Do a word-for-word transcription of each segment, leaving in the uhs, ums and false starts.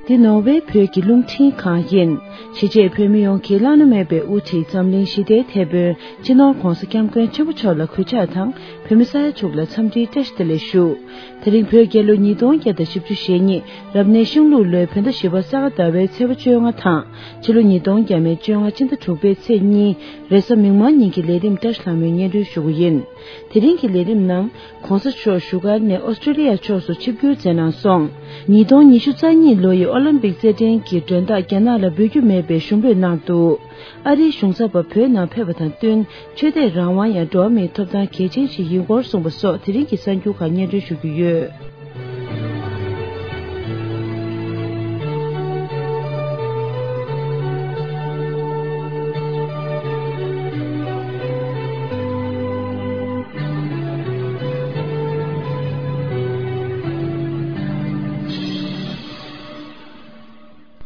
འདི་ནོར་ཝེ་བོད་ཀྱི་རླུང་འཕྲིན་ཁང་ཡིན། གཞིས་བྱེས་བོད་མི་ཡོངས་ཀྱི་བླ་ན་མེད་པའི་དབུ་ཁྲིད་འཛམ་གླིང་ཞི་བདེའི་དེད་དཔོན་སྤྱི་ནོར་༧གོང་ས་༧སྐྱབས་མགོན་ཆེན་པོ་མཆོག་ལ་གུས་ཕྱག་དང་། བོད་མི་ས་ཡ་དྲུག་ལ་འཚམས་འདྲིའི་བཀྲ་ཤིས་བདེ་ལེགས་ཞུ། དེ་རིང་བོད་རྒྱལ་ལོ་ཉིས་སྟོང་བརྒྱ་དང་བཞི་བཅུ་ཞེ་གཉིས་རབ་གནས་ཤིང་ལུག་ལོའི་བོད་ཟླ་བཞི་པ་ས་ག་ཟླ་བའི་ཚེས་པ་བཅོ་ལྔ་དང་། ཕྱི་ལོ་ཉིས་སྟོང་བརྒྱ་མེད་བཅོ་ལྔ་སྤྱི་ཟླ་དྲུག་པའི་ཚེས་གཉིས་རེས་གཟའ་མིག་དམར་ཉིན་གྱི་ལས་རིམ་བཀྲ་ཤིས་ལྷ་མོའི་སྙན་སྒྲོན་ཞུ་རྒྱུ་ཡིན། དེ་རིང་གི་ལས་རིམ་ནང་། ༸གོང་ས་མཆོག་བཞུགས་སྒར་ནས་ཨོ་སི་ཀྲོ་ལི་ཡ་ཕྱོགས་སུ་ཆིབས་བསྒྱུར་མཛད་གནང་སོང་། ཉིས་སྟོང་ཉི་ཤུ་རྩ་གཉིས་ལོ་ཡི་ཨོ་ལིམ་པིག་རྩེད་འགྲན་གྱི་མགྲོན་བདག་རྒྱ་ནག་ལ་འབུལ་རྒྱུ་མེད་པའི་ཞུ་འབོད་གནང་འདུག་ཨ་རིའི་གཞུང་ཚབ་པ་བོད་ནང་ཕེབས་པ་དང་བསྟུན། ཆོས་དད་རང་དབང་ཡང་འགྲོ་བ་མིའི་ཐོབ་ཐང་གལ་ཆེན་ཞིག་ཡིན་སྐོར་གསུངས་པ་སོགས་དེ་རིང་གི་གསར་འགྱུར་ཁག་སྙན་སྒྲོན་ཞུ་རྒྱུ་ཡོད།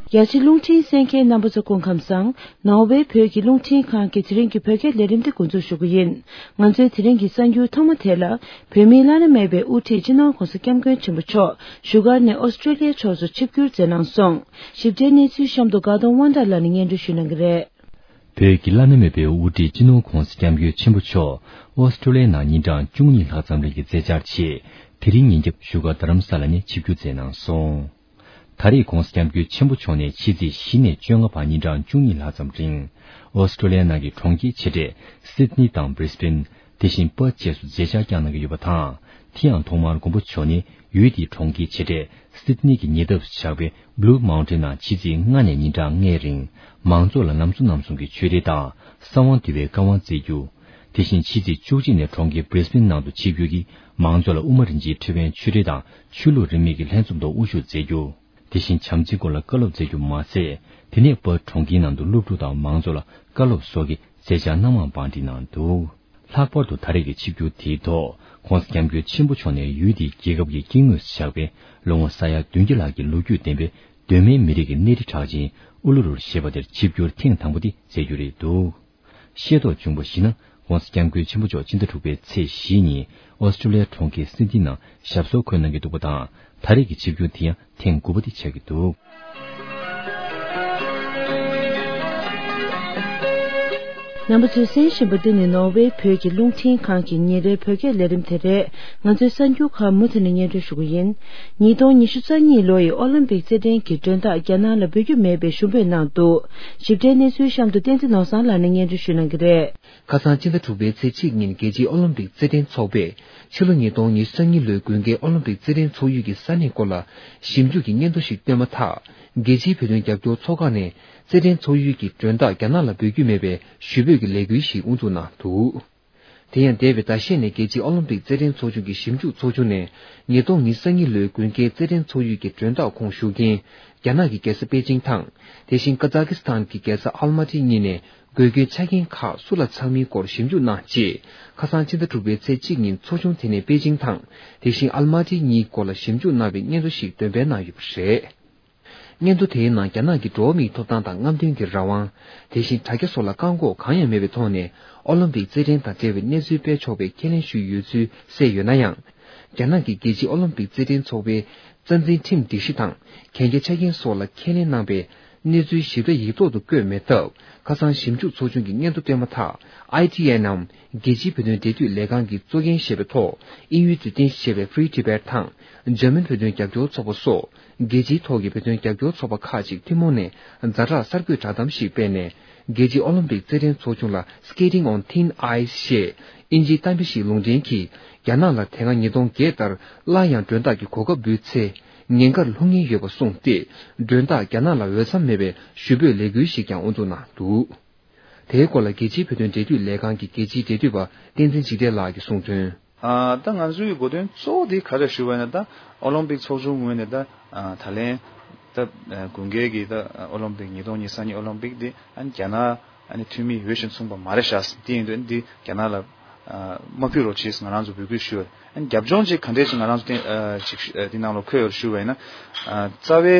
རྒྱ་ཆེ་རླུང་འཕྲིན་གསན་མཁན་རྣམ་པ་ཚོ་སྐུ་ཁམས་བཟང་། ནོར་ཝེ་བོད་ཀྱི་རླུང་འཕྲིན་ཁང་གི་དེ་རིང་གི་བོད་སྐད་ལས་རིམ་དེ་འགོ་འཛུགས་ཞུ་གི་ཡིན། ང་ཚོའི་དེ་རིང་གི་གསར་འགྱུར་ཐོག་མ་དེ་ལ། བོད་མིའི་བླ་ན་མེད་པའི་དབུ་ཁྲིད་སྤྱི་ནོར་༸གོང་ས་༸སྐྱབས་མགོན་ཆེན་པོ་མཆོག་བཞུགས་སྒར་ནས་ཨོ་སི་ཀྲོ་ལི་ཡ་ཕྱོགས་སུ་ཆིབས་བསྒྱུར་མཛད་གནང་སོང་། ཞིབ་ཕྲའི་གནས་ཚུལ་གཤམ་དུ་དགའ་གདོང་དབང་གྲགས་ལགས་ནས་སྙན་སྒྲོན་ཞུ་གནང་གི་རེད། བོད་ཀྱི་བླ་ན་མེད་པའི་དབུ་ཁྲིད་སྤྱི་ནོར་༸གོང་ས་༸སྐྱབས་མགོན་ཆེན་པོ་མཆོག་ཨོ་སི་ཀྲོ་ལི་ཡའི་ནང་ཉིན་གྲངས་བཅུ་གཉིས་ལྷག་ཙམ་རིང་གི་མཛད་འཆར་ཆེད། དེ་རིང་ཉིན་རྒྱབ་བཞུགས་སྒར་རྡ་རམ་ས་ལ་ནས་ཆིབས་བསྒྱུར་མཛད་གནང་སོང་། ད་རེས་༸གོང་ས་༸སྐྱབས་མགོན་ཆེན་པོ་མཆོག་ནས་ཕྱི་ཚེས་བཞི་ནས་བཅོ་ལྔ་བར་ཉིན་གྲངས་བཅུ་གཉིས་ལྷག་ཙམ་རིང་། ཨོ་སི་ཀྲོ་ལི་ཡ་ནང་གི་གྲོང་ཁྱེར་ཆེ་གྲས་སིད་ནི་དང་བྷི་རི་སྦེན། དེ་བཞིན་པར་བཅས་སུ་མཛད་འཆར་བསྐྱངས་གནང་གི་ཡོད་པ་དང་། དེ་ཡང་ཐོག་མར་མགོན་པོ་མཆོག་ནས་ཡུལ་དེའི་གྲོང་ཁྱེར་ཆེ་གྲས་སིད་ནི་གི་ཉེ་འདབས་སུ་ཆགས་པའི་བྷུ་ལུ་མའུན་ཊེན་ནང་ཕྱི་ཚེས་ལྔ་ནས་ཉིན་གྲངས་ལྔའི་རིང་མང་ཚོགས་ལ་ལམ་བཟོ་གནང་སོང་གི་ཆོས་རིག་དང་གསང་བ་འདུས་པའི་བཀའ་དབང་བསྩལ་རྒྱུ། དེ་བཞིན་ཕྱི་ཚེས་བཅུ་གཅིག་ནས་གྲོང་ཁྱེར་བྷི་རི་སྦེན་ནང་དུ་ཆིབས་བསྒྱུར་གྱིས་མང་ཚོགས་ལ་དབུ་མ་རིན་ཆེན་ཕྲེང་བའི་ཆོས་རིག་དང་ཆོས་ལུགས་རིས་མེད་ཀྱི་ལྷན་འཛོམས་ཐོག་དབུ་བཞུགས་མཛད་རྒྱུ། དེ་བཞིན་བྱམས་བརྩེའི་སྐོར་ལ་བཀའ་སློབ་སྩལ་རྒྱུ་མ་ཟད། དེ་ནས་པར་གྲོང་ཁྱེར་ནང་དུ་སློབ་ཕྲུག་དང་མང་ཚོགས་ལ་བཀའ་སློབ་སོགས་ཀྱི་མཛད་འཆར་སྣ་མང་བང་སྒྲིག་གནང་འདུག་ལྷག་པར་དུ་ད་རེས་ཀྱི་ཆིབས་བསྒྱུར་དེའི་ཐོག་༸གོང་ས་༸སྐྱབས་མགོན་ཆེན་པོ་མཆོག་ནས་ཡུལ་དེའི་རྒྱལ་ཁབ་ཀྱི་དཀྱིལ་ངོས་སུ་ཆགས་པའི་ལོ་ངོ་ས་ཡ་བདུན་བརྒྱ་ལྷག་གི་ལོ་རྒྱུས་ལྡན་པའི་གདོད་མའི་མི་རིགས་ཀྱི་གནས་རི་གྲགས་ཅན་ཨུ་ལུ་རུར་ཞེས་པ་དེར་ཆིབས་བསྒྱུར་ཐེངས་དང་པོ་དེ་མཛད་རྒྱུ་རེད་འདུག་ཤེས་རྟོགས་བྱུང་བར་གཞིགས་ན། ༸གོང་ས་༸སྐྱབས་མགོན་ཆེན་པོ་མཆོག་སྤྱི་ཟླ་དྲུག་པའི་ཚེས་བཞི་ཉིན་ཨོ་སི་ཀྲོ་ལི་ཡའི་གྲོང་ཁྱེར་སིད་ནི་ནང་ཞབས་སོར་འཁོད་གནང་གི་འདུག་པ་དང་། ད་རེས་ཀྱི་ཆིབས་བསྒྱུར་དེ་ཡང་ཐེངས་དགུ་པ་དེ་ཆགས་ཀྱི་འདུག་རྣམ་པ་ཚོས་གསན་བཞིན་པ་འདི་ནི་ནོར་ཝེ་བོད་ཀྱི་རླུང་འཕྲིན་ཁང་གི་ཉིན་རེའི་བོད་སྐད་ལས་རིམ་དེ་རེད། ང་ཚོའི་གསར་འགྱུར་ཁག་མུ་མཐུད་ནས་སྙན་སྒྲོན་ཞུ་གི་ཡིན། ཉིས་སྟོང་ཉི་ཤུ་རྩ་གཉིས་ལོ་ཡི་ཨོ་ལིམ་པིག་རྩེད་འགྲན་གྱི་མགྲོན་བདག་རྒྱ་ནག་ལ་འབུལ་རྒྱུ་མེད་པའི་ཞུ་འབོད་གནང་འདུག་ཞིབ་ཕྲའི་གནས་ཚུལ་གཤམ་དུ་བསྟན་འཛིན་ནོར་བཟང་ལགས་ནས་སྙན་སྒྲོན་ཞུ་གནང་གི་རེད། ཁ་སང་ཕྱི་ཟླ་དྲུག་པའི་ཚེས་གཅིག་ཉིན་རྒྱལ་སྤྱིའི་ཨོ་ལིམ་པིག་རྩེད་འགྲན་ཚོགས་པས་ཕྱི་ལོ་ཉིས་སྟོང་ཉི་ཤུ་རྩ་གཉིས་ལོའི་དགུན་ཁའི་ཨོ་ལིམ་པིག་རྩེད་འགྲན་ཚོགས་ཡུལ་གྱི་ས་གནས་སྐོར་ལ་ཞིབ་འཇུག་གི་སྙན་ཐོ་ཞིག་བཏོན་མ་ཐག་རྒྱལ་སྤྱིའི་བོད་དོན་རྒྱབ་སྐྱོར་ཚོགས་ཁག་ནས་རྩེད་འགྲན་ཚོགས་ཡུལ་གྱི་མགྲོན་བདག་རྒྱ་ནག་ལ་འབུལ་རྒྱུ་མེད་པའི་ཞུ་འབོད་ཀྱི་ལས་འགུལ་ཞིག་དབུ་འཛུགས་གནང་འདུག་དེ་ཡང་འདས་པའི་ཟླ་ཤས་ནས་རྒྱལ་སྤྱིའི་ཨོ་ལིམ་པིག་རྩེད་འགྲན་ཚོགས་ཆུང་གི་ཞིབ་འཇུག་ཚོགས་ཆུང་ནས་ཉིས་སྟོང་ཉི་ཤུ་རྩ་གཉིས་ལོའི་དགུན་ཁའི་རྩེད་འགྲན་ཚོགས་ཡུལ་གྱི་མགྲོན་བདག་ཁོངས་ཞུགས་མཁན་རྒྱ་ནག་གི་རྒྱལ་ས་པེ་ཅིང་དང་། དེ་བཞིན་ཀ་ཛ་ཀི་སི་ཐན་གྱི་རྒྱལ་ས་ཨལ་མ་ཊི་གཉིས་ནས་དགོས་མཁོའི་ཆ་རྐྱེན་ཁག་སུ་ལ་ཚང་མིན་སྐོར་ཞིབ་འཇུག་གནང་རྗེས། ཁ་སང་ཕྱི་ཟླ་དྲུག་པའི་ཚེས་གཅིག་ཉིན་ཚོགས་ཆུང་དེ་ནས་པེ་ཅིང་དང་། དེ་བཞིན་ཨལ་མ་ཊི་གཉིས་སྐོར་ལ་ཞིབ་འཇུག་གནང་བའི་སྙན་ཐོ་ཞིག་འདོན་སྤེལ་གནང་ཡོད་པ་རེད། སྙན་ཐོ་དེའི་ནང་རྒྱ་ནག་གི་འགྲོ་བ་མིའི་ཐོབ་ཐང་དང་རྔམ་སྟོན་གྱི་རང་དབང་། དེ་བཞིན་དྲ་རྒྱ་སོགས་ལ་བཀག་འགོག་གང་ཡང་མེད་པའི་ཐོག་ནས་ཨོ་ལིམ་པིག་རྩེད་འགྲན་དང་འབྲེལ་བའི་གནས་ཚུལ་སྤེལ་ཆོག་པའི་ཁས་ལེན་ཞུས་ཡོད་ཚུལ་གསལ་ཡོད་ན་ཡང་། རྒྱ་ནག་གི་རྒྱལ་སྤྱིའི་ཨོ་ལིམ་པིག་རྩེད་འགྲན་ཚོགས་པའི་རྩ་འཛིན་ཁྲིམས་སྒྲིག་གཞི་དང་གན་རྒྱ་ཆ་རྐྱེན་སོགས་ལ་ཁས་ལེན་གནང་པའི་གནས་ཚུལ་ཞིབ་ཕྲ་ཡིག་ཐོག་ཏུ་བཀོད་མེད་སྟབས། ཁ་སང་ཞིབ་འཇུག་ཚོགས་ཆུང་གིས་སྙན་ཐོ་བཏོན་མ་ཐག་ཨའི་ཊི་ཨེན་ནམ། རྒྱལ་སྤྱིའི་བོད་དོན་འབྲེལ་མཐུད་ལས་ཁང་གིས་གཙོ་འགན་བཞེས་པའི་ཐོག་དབྱིན་ཡུལ་དུ་རྟེན་གཞི་བྱས་པའི་Free Tibet་དང་འཇར་མན་བོད་དོན་རྒྱབ་སྐྱོར་ཚོགས་པ་སོགས་རྒྱལ་སྤྱིའི་ཐོག་གི་བོད་དོན་རྒྱབ་སྐྱོར་ཚོགས་པ་ཁག་ཅིག་ཐུན་མོང་ནས་ཛ་དྲག་གསར་འགོད་བསྒྲགས་གཏམ་ཞིག་སྤེལ་ནས། རྒྱལ་སྤྱིའི་ཨོ་ལིམ་པིག་རྩེད་འགྲན་ཚོགས་ཆུང་ལ་Skating on Thin Ice་ཞེས་དབྱིན་ཇིའི་གཏམ་དཔེ་ཞིག་ལུང་འདྲེན་གྱིས། རྒྱ་ནག་ལ་དེ་སྔ་ཉིས་སྟོང་བརྒྱད་ལྟར་སླར་ཡང་མགྲོན་བདག་གི་གོ་སྐབས་འབུལ་ཚེ་ཉེན་ཁར་ལྷུང་ཉེན་ཡོད་པ་གསུངས་ཏེ། མགྲོན་བདག་རྒྱ་ནག་ལ་འོས་འཚམ་མེད་པའི་ཞུ་འབོད་ལས་འགུལ་ཞིག་ཀྱང་དབུ་འཛུགས་གནང་འདུག་དེའི་སྐོར་ལ་རྒྱལ་སྤྱིའི་བོད་དོན་འབྲེལ་མཐུད་ལས་ཁང་གི་རྒྱལ་སྤྱིའི་འབྲེལ་མཐུད་པ་བསྟན་འཛིན་འཇིགས་བྲལ་ལགས་ཀྱིས་གསུངས་དོན། ཨ། ད་ང་ཚོའི་གོ་དོན་གཙོ་བོ་དེ་ག་རེ་ཞུ་བ་ཡིན་ན། ད་ཨོ་ལིམ་པིག་ཚོགས་ཆུང་ངོས་ནས་ད་ཨ་ད་ལན་ད་དགུན་ཁའི་གི་ད་ཨོ་ལིམ་པིག་ཉིས་སྟོང་ཉི་ཤུ་རྩ་གཉིས་ཨོ་ལིམ་པིག་དེ་ཨ་ནི་རྒྱ་ནག་ཨ་ནི་འཐུས་མི་འོས་ཤིང་མཚུངས་པ་མ་རེད་ཤག་དེ་ཡིན་དུས་འདི་རྒྱ་ནག་ལ་ཨ་མ་ཕུལ་རོགས་བྱེད་ཟེར་ང་རང་ཚོ་འབོད་སྐུལ་ཞུ་བ་རེད། ཨ་ནི་རྒྱབ་ལྗོངས་ཅིག་ག་འདྲས་ཅིག་ང་རང་ཚོ་དེ་ཨ་ཅིག་ཨ་དེ་ནང་ལོགས་འཁོད་ཡོད་རེད་ཞུ་བ་ཡིན་ན། ཨ་རྩ་བའི་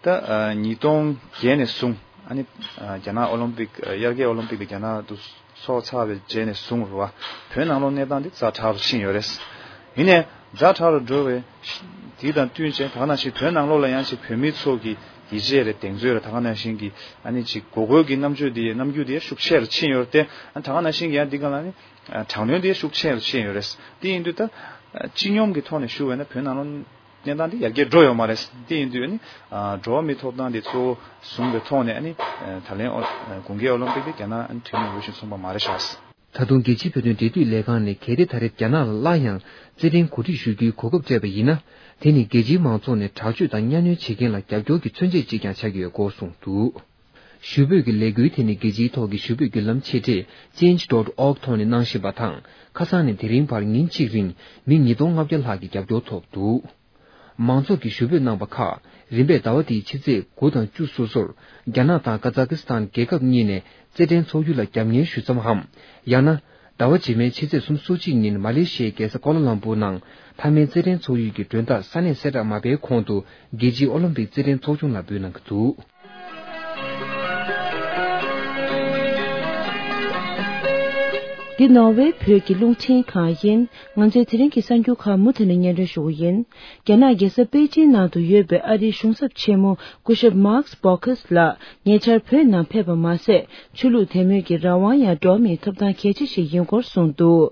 ད་ཨ་ཉིས་སྟོང་བརྒྱད་ནས་བཟུང་ཨ་ནི་ཨ་རྒྱ་ནག་ཨོ་ལིམ་པིག་ཨ་དབྱར་ཁའི་ཨོ་ལིམ་པིག་དེ་རྒྱ་ནག་ཏུ་ཚོགས་ཚར་བའི་རྗེས་ནས་བཟུང་རུ་བ་བོད་ནང་ལོགས་གནས་སྟངས་དེ་ཛ་དྲག་རུ་ཕྱིན་ཡོད་རེད། ཡིན་ནའི་ཛ་དྲག་རུ་འགྲོ་བའི་དེ་དང་བསྟུན་བྱས་ད་ག་ནང་བཞིན་བོད་ནང་ལོགས་ལ་ཡང་ཅིག་བོད་མི་ཚོ་གི་ ཡིད་ཆེས་རེད། གདེང་ཚོད་རེད། ད་ག་ནང་བཞིན་གྱི་ཨ་ནི་ཅིག་གོ་དགོས་ཀྱི་རྣམ་དཔྱོད་དེ་རྣམ་འགྱུར་དེ་ཤུགས་ཆེ་རུ་ཕྱིན་ཡོད་རེད་དེ། ཨ་ད་ག་ནང་བཞིན་གྱི་ཡང་འདི་ག་ལ་ནི་དྲག་གནོན་དེ་ཤུགས་ཆེ་རུ་ཕྱིན་ཡོད་རེད། དེ་ཡིན་དུས་ད་སྤྱི་སྙོམས་ཀྱི་ཐོག་ནས་ཞུ་བས་ན་བོད་ནང་ལོགས་གནས་སྟངས་དེ་ཡར་རྒྱས་འགྲོ་ཡོད་མ་རེད། དེ་ཡིན་དུས་ཨ་ནི་འགྲོ་བ་མིའི་ཐོབ་ཐང་དེ་གཙོ་བོ་བཟུང་བའི་ཐོག་ནས་ཨ་ནི་ད་ལན་ཨོ་དགུན་ཁའི་ཨོ་ལིམ་པིག་དེ་རྒྱ་ནག་ཨ་ནི་འཐུས་མི་འོས་ཤིང་མཚུངས་པ་མ་རེད་ཤག། ད་དུང་རྒྱལ་སྤྱིའི་བོད་དོན་འབྲེལ་མཐུད་ལས་ཁང་ནས་གལ་ཏེ་ད་རེས་རྒྱ་ནག་ལ་སླར་ཡང་རྩེད་འགྲན་གོ་སྒྲིག་ཞུ་རྒྱུའི་གོ་སྐབས་སྤྲད་པ་ཡིན་ན། དེ་ནི་རྒྱལ་སྤྱིའི་མང་ཚོགས་ནས་དྲག་སྤྱོད་དང་གཉའ་གནོན་བྱེད་མཁན་ལ་རྒྱབ་སྐྱོར་གྱི་མཚོན་བྱེད་ཅིག་ཀྱང་ཆགས་ཀྱི་ཡོད་སྐོར་གསུངས་འདུག། ཞུ་འབོད་ཀྱི་ལས་འགུལ་དེ་ནི་རྒྱལ་སྤྱིའི་ཐོག་གི་ཞུ་འབོད་བརྒྱུད་ལམ་ཆེ་གྲས་change dot org ཐོག་ནས་གནང་བཞིན་པ་དང་། ཁ་སང་ནས་དེ་རིང་བར་ཉིན་གཅིག་རིང་མི་ཉིས་སྟོང་ལྔ་བརྒྱ་ལྷག་གི་རྒྱབ་སྐྱོར་ཐོབ་འདུག། མང་ཚོགས་ཀྱིས་ཞུ་འབོད་གནང་པ་ཁག་རིམ་པས་ཟླ་བ་འདིའི་ཕྱི་ཚེས་དགུ་དང་བཅུ་སོ་སོར་རྒྱ་ནག་དང་ཀ་ཛ་ཀི་སི་ཐན་རྒྱལ་ཁབ་གཉིས་ནས་རྩེད་འགྲན་འཚོགས་རྒྱུ་ལ་རྒྱབ་གཉེར་ཞུ་མཚམས་འམ། ཡང་ན། ཟླ་བ་རྗེས་མའི་ཕྱི་ཚེས་སོ་གཅིག་ཉིན་མ་ལེ་ཤི་ཡའི་རྒྱལ་ས་ཀོ་ལ་ལམ་པུར་ནང་མཐའ་མའི་རྩེད་འགྲན་འཚོགས་ཡུལ་གྱི་མགྲོན་བདག་ས་གནས་གསལ་བསྒྲགས་མ་བྱས་གོང་དུ་རྒྱལ་སྤྱིའི་ཨོ་ལིམ་པིག་རྩེད་འགྲན་ཚོགས་ཆུང་ལ་འབུལ་གནང་གི་འདུག། འདི་ནོར་ཝེ་བོད་ཀྱི་རླུང་འཕྲིན་ཁང་ཡིན། ང་ཚོའི་དེ་རིང་གི་གསར་འགྱུར་ཁག་མུ་མཐུད་ནས་སྙན་སྒྲོན་ཞུ་གི་ཡིན། རྒྱ་ནག་རྒྱལ་ས་པེ་ཅིན་ནང་དུ་ཡོད་པའི་ཨ་རིའི་གཞུང་ཚབ་ཆེན་མོ་སྐུ་ཞབས་Max Baucus ལགས་ཉེ་ཆར་བོད་ནང་ཕེབས་པ་མ་ཟད། ཆོས་ལུགས་དད་མོས་ཀྱི་རང་དབང་ཡང་འགྲོ་བ་མིའི་ཐོབ་ཐང་གལ་ཆེ་ཞིག་ཡིན་སྐོར་གསུངས་འདུག།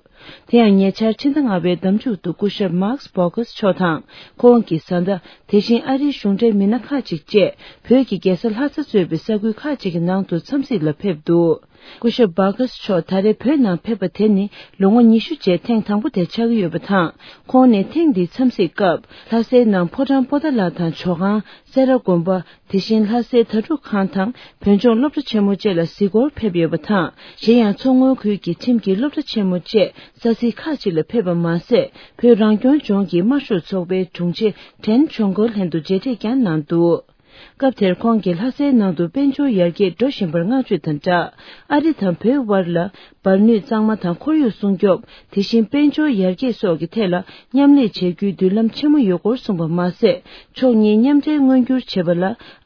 དེ་ཡང་ཉེ་ཆར་ཕྱི་ཟླ་ལྔ་པའི་ཟླ་མཇུག་ཏུ་སྐུ་ཞབས་Max Baucus མཆོག་དང་ཁོང་གི་བཟའ་ཟླ། དེ་བཞིན་ཨ་རིའི་གཞུང་འབྲེལ་མི་སྣ་ཁག་ཅིག་བཅས་བོད་ཀྱི་རྒྱལ་ས་ལྷ་ས་གཙོས་པའི་ས་ཁུལ་ཁག་ཅིག་གི་ནང་དུ་འཚམས་གཟིགས་ལ་ཕེབས་འདུག། སྐུ་ཞབས་Baucus མཆོག་ད་རེས་བོད་ནང་ཕེབས་པ་དེ་ནི་ལོ་ངོ་ཉི་ཤུ་རྗེས་ཐེངས་དང་པོ་དེ་ཆགས་ཀྱི་ཡོད་པ་དང་། ཁོང་ནས་ཐེངས་འདིའི་འཚམས་གཟིགས་སྐབས་ལྷ་སའི་ནང་ཕོ་བྲང་པོ་ཏཱ་ལ་དང་ཇོ་ཁང་། སེ་ར་དགོན་པ། དེ་བཞིན་ལྷ་སའི་དྭ་ཕྲུག་ཁང་དང་བོད་ལྗོངས་སློབ་གྲྭ་ཆེན་མོ་བཅས་ལ་གཟིགས་སྐོར་ཕེབས་ཡོད་པ་དང་། གཞན་ཡང་མཚོ་སྔོན་ཁུལ་གྱི་ཁྲིམས་ཀྱི་སློབ་གྲྭ་ཆེན་མོ་བཅས་ས་ཚིགས་ཁག་ཅིག་ལ་ཕེབས་པ་མ་ཟད། བོད་རང་སྐྱོང་ལྗོངས་ཀྱི་དམར་ཤོག་ཚོགས་པའི་དྲུང་ཆེ་ཁྲེན་ཆོན་གོ་ལྷན་དུ་མཇལ་འཕྲད་ཀྱང་གནང་འདུག། སྐབས་དེར་ཁོང་གིས་ལྷ་སའི་ནང་དུ་དཔལ་འབྱོར་ཡར་རྒྱས་འགྲོ་བཞིན་པར་བསྔགས་བརྗོད་དང་སྦྲགས། ཨ་རི་དང་བོད་དབར་ལ་འབར་ནུས་གཙང་མ་དང་ཁོར་ཡུག་སྲུང་སྐྱོབ། དེ་བཞིན་དཔལ་འབྱོར་ཡར་རྒྱས་སོགས་ཀྱི་ཐད་ལ་མཉམ་ལས་བྱེད་རྒྱུའི་མདུན་ལམ་ཆེན་མོ་ཡོད་སྐོར་གསུངས་པ་མ་ཟད། ཕྱོགས་གཉིས་མཉམ་འབྲེལ་མངོན་འགྱུར་བྱེད་པ་ལ་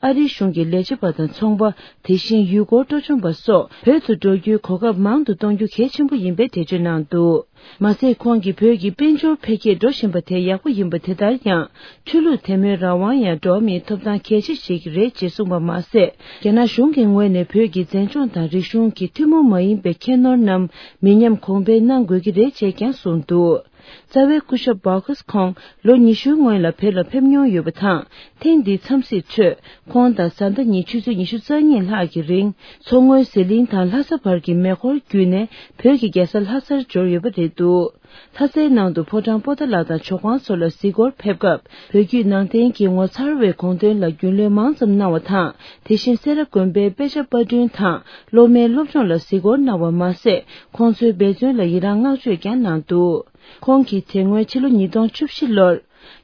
ཨ་རིའི་གཞུང་གི་ལས་བྱེད་པ་དང་ཚོང་པ། དེ་བཞིན་ཡུལ་སྐོར་སྤྲོ་འཆམ་པ་སོགས་བོད་དུ་འགྲོ་རྒྱུའི་གོ་སྐབས་མང་དུ་གཏོང་རྒྱུ་གལ་ཆེན་པོ་ཡིན་པའི་འགྲེལ་བརྗོད་གནང་འདུག། མ་ཟད། ཁོང་གིས་བོད་ཀྱི་དཔལ་འབྱོར་འཕེལ་རྒྱས་འགྲོ་བཞིན་པ་དེ་ཡག་པོ་ཡིན་པ་དེ་ལྟར་ཡང་། ཆོས་ལུགས་དད་མོས་རང་དབང་ཡང་འགྲོ་བ་མིའི་ཐོབ་ཐང་གལ་ཆེ་ཞིག་རེད་ཅེས་གསུངས་པ་མ་ཟད། རྒྱ་ནག་གཞུང་གི་ངོས་ནས་བོད་ཀྱི་མཛེས་ལྗོངས་དང་རིག་གཞུང་གི་ཐུན་མོང་མ་ཡིན་པའི་ཁྱད་ནོར་རྣམས་མི་ཉམས་གོང་འཕེལ་གནང་དགོས་ཀྱི་རེད་ཅེས་ཀྱང་གསུངས་འདུག། རྩ་བའི་སྐུ་ཞབས་Baucus ཁོང་ལོ་ཉི་ཤུའི་སྔོན་ལ་བོད་ལ་ཕེབས་མྱོང་ཡོད་པ་དང་། ཐེངས་འདིའི་འཚམས་གཟིགས་ཁྲོད་ཁོང་དང་བཟའ་ཟླ་གཉིས་ཆུ་ཚོད་ཉི་ཤུ་རྩ་གཉིས་ལྷག་གི་རིང་མཚོ་སྔོན་ཟི་ལིང་དང་ལྷ་ས་བར་གྱི་མེ་འཁོར་བརྒྱུད་ནས་བོད་ཀྱི་རྒྱལ་ས་ལྷ་སར་འབྱོར་ཡོད་པ་རེད་འདུག། ལྷ་སའི་ནང་དུ་ཕོ་བྲང་པོ་ཏཱ་ལ་དང་ཇོ་ཁང་སོགས་ལ་གཟིགས་སྐོར་ཕེབས་སྐབས། བོད་བརྒྱུད་ནང་བསྟན་གྱི་ངོ་མཚར་བའི་དགོངས་དོན་ལ་རྒྱུས་ལོན་མང་ཙམ་གནང་བ་དང་། དེ་བཞིན་སེ་ར་དགོན་པའི་དཔེ་ཆ་པར་སྐྲུན་དང་སློབ་མའི་སློབ་སྦྱོང་ལ་གཟིགས་སྐོར་གནང་བ་མ་ཟད། ཁོང་ཚོའི་འབད་བརྩོན་ལ་ཡི་རངས་བསྔགས་བརྗོད་ཀྱང་གནང་འདུག། ཁོང་གིས་དེ་སྔོན་ཕྱི་ལོ་ཉིས་སྟོང་བཅུ་བཞི་ལོར།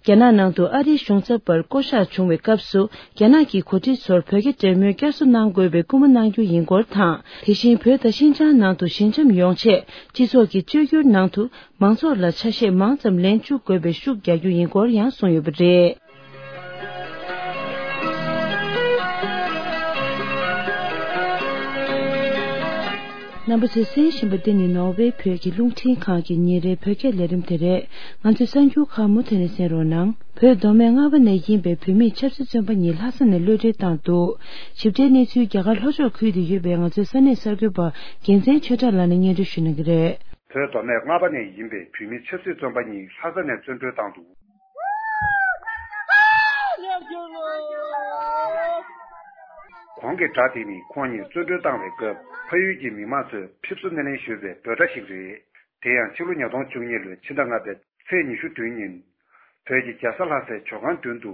རྒྱ་ནག་ནང་དུ་ཨ་རིའི་གཞུང་ཚབ་པར་བསྐོ་གཞག་བྱུང་བའི་སྐབས་སུ། རྒྱ་ནག་གི་འགོ་ཁྲིད་ཚོར་བོད་རྒྱ་འབྲེལ་མོལ་བསྐྱར་གསོ་གནང་དགོས་པའི་སྐུལ་མ་གནང་རྒྱུ་ཡིན་སྐོར་དང་། དེ་བཞིན་བོད་དང་ཤིན་ཅང་ནང་དུ་ཞི་འཇམ་ཡོང་ཆེད། སྤྱི་ཚོགས་ཀྱི་བཅོས་བསྒྱུར་ནང་དུ་མང་ཚོགས་ལ་ཆ་ཤས་མང་ཙམ་ལེན་བཅུག་དགོས་པའི་ཤུགས་རྒྱག་རྒྱུ་ཡིན་སྐོར་ཡང་གསུངས་ཡོད་པ་རེད། རྣམ་པ་ཚོས་གསན་བཞིན་པ་འདི་ནི་ནོར་ཝེ་བོད་ཀྱི་རླུང་འཕྲིན་ཁང་གི་ཉིན་རེའི་བོད་སྐད་ལས་རིམ་དེ་རེད། ང་ཚོའི་གསར་འགྱུར་ཁག་མུ་མཐུད་ནས་གསན་རོགས་གནང་། བོད་མདོ་སྨད་རྔ་བ་ནས་ཡིན་པའི་བོད་མིའི་ཆབ་སྲིད་བཙོན་པ་གཉིས་ལྷ་ས་ནས་གློད་གྲོལ་བཏང་འདུག། ཞིབ་ཕྲའི་གནས་ཚུལ་རྒྱ་གར་ལྷོ་ཕྱོགས་ཁུལ་དུ་ཡོད་པའི་ང་ཚོའི་ས་གནས་གསར་འགོད་པ་རྒྱལ་མཚན་ཆོས་གྲགས་ལགས་ནས་སྙན་སྒྲོན་ཞུ་གནང་གི་རེད། བོད་མདོ་སྨད་རྔ་བ་ནས་ཡིན་པའི་བོད་མི་ཆབ་སྲིད་བཙོན་པ་གཉིས་ལྷ་ས་ནས་བཙོན་གྲོལ་བཏང་འདུག། གོང་གི་སྒྲ་དེ་ནི་ཁོང་གཉིས་བཙོན་གྲོལ་བཏང་བའི་སྐབས་ཕ་ཡུལ་གྱི་མི་མང་ཚོས་ཕེབས་བསུ་སྣེ་ལེན་ཞུས་པའི་འབོད་སྒྲ་ཞིག་རེད། དེ་ཡང་ཕྱི་ལོ་ཉིས་སྟོང་བཅུ་གཉིས་ལོའི་ཕྱི་ཟླ་ལྔ་པའི་ཚེས་ཉི་ཤུ་བདུན་ཉིན། བོད་ཀྱི་རྒྱལ་ས་ལྷ་སའི་ཇོ་ཁང་མདུན་དུ།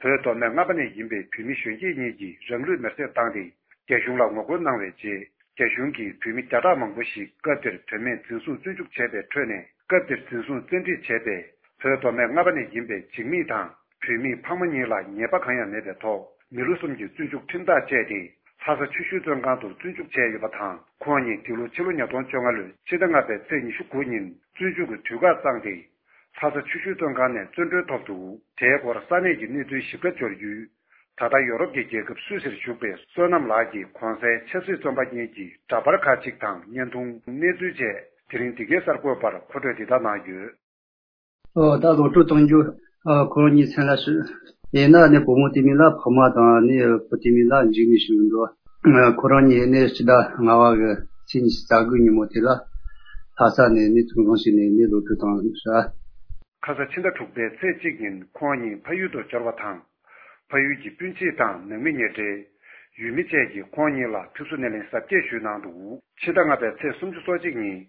བོད་མདོ་སྨད་རྔ་པ་ནས་ཡིན་པའི་བོད་མི་གཞོན་སྐྱེས་གཉིས་ཀྱིས་རང་ལུས་མེར་སྲེག་བཏང་སྟེ། རྒྱ་གཞུང་ལ་ངོ་རྒོལ་གནང་བའི་རྗེས། རྒྱ་གཞུང་གིས་བོད་མི་བརྒྱ་ཕྲག་མང་པོ་ཞིག་སྐབས་དེར་དོན་མེད་འཛིན་བཟུང་བཙོན་འཇུག་བྱས་པའི་ཁྲོད་ནས། སྐབས་དེར་འཛིན་བཟུང་བཙན་ཁྲིད་བྱས་པའི་བོད་མདོ་སྨད་རྔ་པ་ནས་ཡིན་པའི་འཇིགས་མེད་དང་བོད་མིའི་ཕ་མ་གཉིས་ལ་ཉེས་པ་གང་ཡང་མེད་པའི་ཐོག་མི་ལོ་གསུམ་གྱི་བཙོན་འཇུག་ཁྲིམས་ཐག་བཅད་དེ། ལྷ་ས་ཆུ་ཤུར་བཙོན་ཁང་དུ་བཙོན་འཇུག་བྱས་ཡོད་པ་དང་། ཁོང་གཉིས་འདི་ལོ་ཕྱི་ལོ་ཉིས་སྟོང་བཅོ་ལྔ་ལོའི་ཕྱི་ཟླ་ལྔ་པའི་ཚེས་ཉི་ཤུ་དགུ་ཉིན་བཙོན་འཇུག་གི་དུས་བཀག་བཏང་སྟེ། ལྷ་ས་ཆུ་ཤུར་བཙོན་ཁང་ནས་བཙོན་གྲོལ་ཐོབ་འདུག། དེའི་སྐོར་ས་གནས་ཀྱི་གནས་ཚུལ་ཞིབ་ཕྲ་འབྱོར་ཡུལ། ད་ལྟ་ཡོ་རོབ་ཀྱི་རྒྱལ་ཁབ་སུད་སིར་བཞུགས་པའི་བསོད་ནམས་ལགས་ཀྱིས་གོང་གསལ་ཆབ་སྲིད་བཙོན་པ་གཉིས་ཀྱི་འདྲ་པར་ཁག་ཅིག་དང་བརྙན་ཐུང་། གནས་ཚུལ་བཅས་དེ་རིང་འདི་གའི་གསར་འགོད་པར་མཁོ་སྤྲོད་འདི་ལྟར་གནང་ཡོད། ཨོ། ད་ལོ་ཕྲུག་གཏོང་རྒྱུ། ཨ། ཁོ་རང་གཉིས་མཚན་ལ་ཞུ། ཡིན་ན་ནི་བུ་མོ་དེ་མིན་ལ་ཕ་མ་དང་ནི་བུ་དེ་མིན་ལ་འཇིགས་མེད་ཞུ་འགྲོ། ཁོ་རང་ཉིད་ནི་སྤྱི་ཟླ་ལྔ་བ་གི་ཚེས་ཉི་ཤུ་རྩ་དགུའི་ཉིན་མོ་དེ་ལ་ལྷ་ས་ནས་ནི་ཐུགས་འཕྲང་ཞིག་ནས་ནི་ལོ་དྲུག་དང་ཤ། ཁ་ས་ཕྱི་ཟླ་དྲུག་པའི་ཚེས་གཅིག་ཉིན་ཁོང་གཉིས་ཕ་ཡུལ་དུ་འབྱོར་བ་དང་། ཕ་ཡུལ་གྱི་སྤུན་མཆེད་དང་ནང་མི་ཉེ་འབྲེལ། ཡུལ་མི་བཅས་ཀྱིས་ཁོང་གཉིས་ལ་ཕེབས་བསུ་སྣེ་ལེན་གཟབ་རྒྱས་ཞུས་གནང་འདུག་ཕྱི་ཟླ་ལྔ་པའི་ཚེས་སུམ་ཅུ་སོ་གཅིག་ཉིན།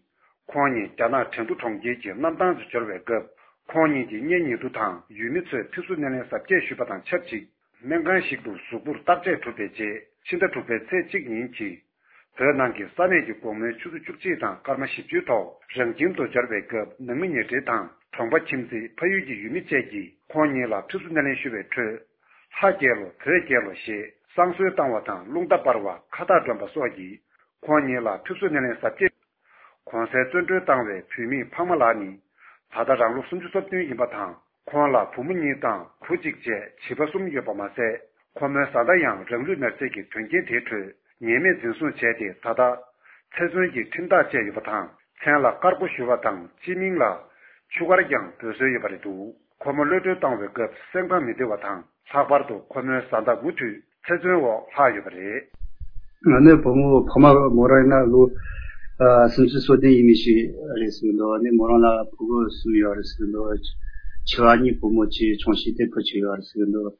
ཁོང་གཉིས་རྒྱ་ནག་ཁྲེང་ཏུ་གྲོང་ཁྱེར་གྱི་གནམ་ཐང་དུ་འབྱོར་བའི་སྐབས། ཁོང་གཉིས་ཀྱི་གཉེན་ཉེ་དུ་དང་ཡུལ་མི་ཚོས་ཕེབས་བསུ་སྣེ་ལེན་གཟབ་རྒྱས་ཞུས་པ་དང་ཆབས་ཅིག་སྨན་ཁང་ཞིག་ཏུ་གཟུགས་པོར་བརྟག་དཔྱད་གྲུབ་པའི་རྗེས། ཕྱི་ཟླ་དྲུག་པའི་ཚེས་གཅིག་ཉིན་གྱི་བོད་ནང་གི་ས་གནས་ཀྱི་དགོང་མོའི་ཆུ་ཚོད་བཅུ་གཅིག་དང་སྐར་མ་བཞི་བཅུའི་ཐོག་རང་ཁྱིམ་དུ་འབྱོར་བའི་སྐབས། ནང་མི་ཉེ་འབྲེལ་དང་གྲོང་པ་ཁྱིམ་མཚེས་ཕ་ཡུལ་གྱི་ཡུལ་མི་བཅས་ཀྱིས་ཁོང་གཉིས་ལ་ཕེབས་བསུ་སྣེ་ལེན་ཞུ་བའི་ཁྲོད། ལྷ་རྒྱལ་ལོ་བོད་རྒྱལ་ལོ་ཞེས་བསང་གསོལ་བཏང་བ་དང་། རླུང་རྟ་སྤར་བ། ཁ་བཏགས་སྒྲོན་པ་སོགས་ཀྱིས་ཁོང་གཉིས་ལ་ཕེབས་བསུ་སྣེ་ལེན་གཟབ་རྒྱས། གོང་གསལ་བཙོན་གྲོལ་བཏང་བའི་བུད་མེད་འཕགས་མ་ལགས་ནི་ད་ལྟ་རང་ལོ་སུམ་ཅུ་སོ་བདུན་ཡིན་པ་དང་། ཁོང་ལ་བུ་མོ་གཉིས་དང་བུ་གཅིག་བཅས་བྱིས་པ་གསུམ་ཡོད་པ་མ་ཟད། ཁོ་མོའི་བཟའ་ཟླ་ཡང་རང་ལུས་མེར་སྲེག་གི་དོན་རྐྱེན་དེའི་ཁྲོད་ཉེས་མེད་འཛིན་བཟུང་བྱས་ཏེ། ད་ལྟ་ཚེ་བཙོན་གྱི་ཁྲིམས་ཐག་བཅད་ཡོད་པ་དང་། མཚན་ལ་དཀར་པོ་ཞུ་བ་དང་། སྤྱི་མིང་ལ་ཆུ་དཀར་ཀྱང་འབོད་སྲོལ་ཡོད་པ་རེད་འདུག་ཁོ་མོ་གློད་གྲོལ་བཏང་བའི་སྐབས་སེམས་ཁམས་མི་བདེ་བ་དང་། ལྷག་པར་དུ་ཁོ་མོའི་བཟའ་ཟླ་མུ་མཐུད་ཚེ་བཙོན་འོག་ལྷག་ཡོད་པ་རེད། ང་ནི་བུ་མོ་ཕ་མ་མོ་རང་ཡིན་ན་ལོ་ཨ་སུམ་ཅུ་སོ་བདུན་ཡིན་མི་ཞིག་རེད་ཟེར་གི་འདུག་ཨ་ནི་མོ་རང་ལ་ཕྲུ་གུ་གསུམ་ཡོད་རེད་ཟེར་གི་འདུག་ཆེ་བ་གཉིས་བུ་མོ་གཅིག་ཆུང་ཤོས་དེ་བུ་གཅིག་ཡོད་རེད་ཟེར་གི་འདུག་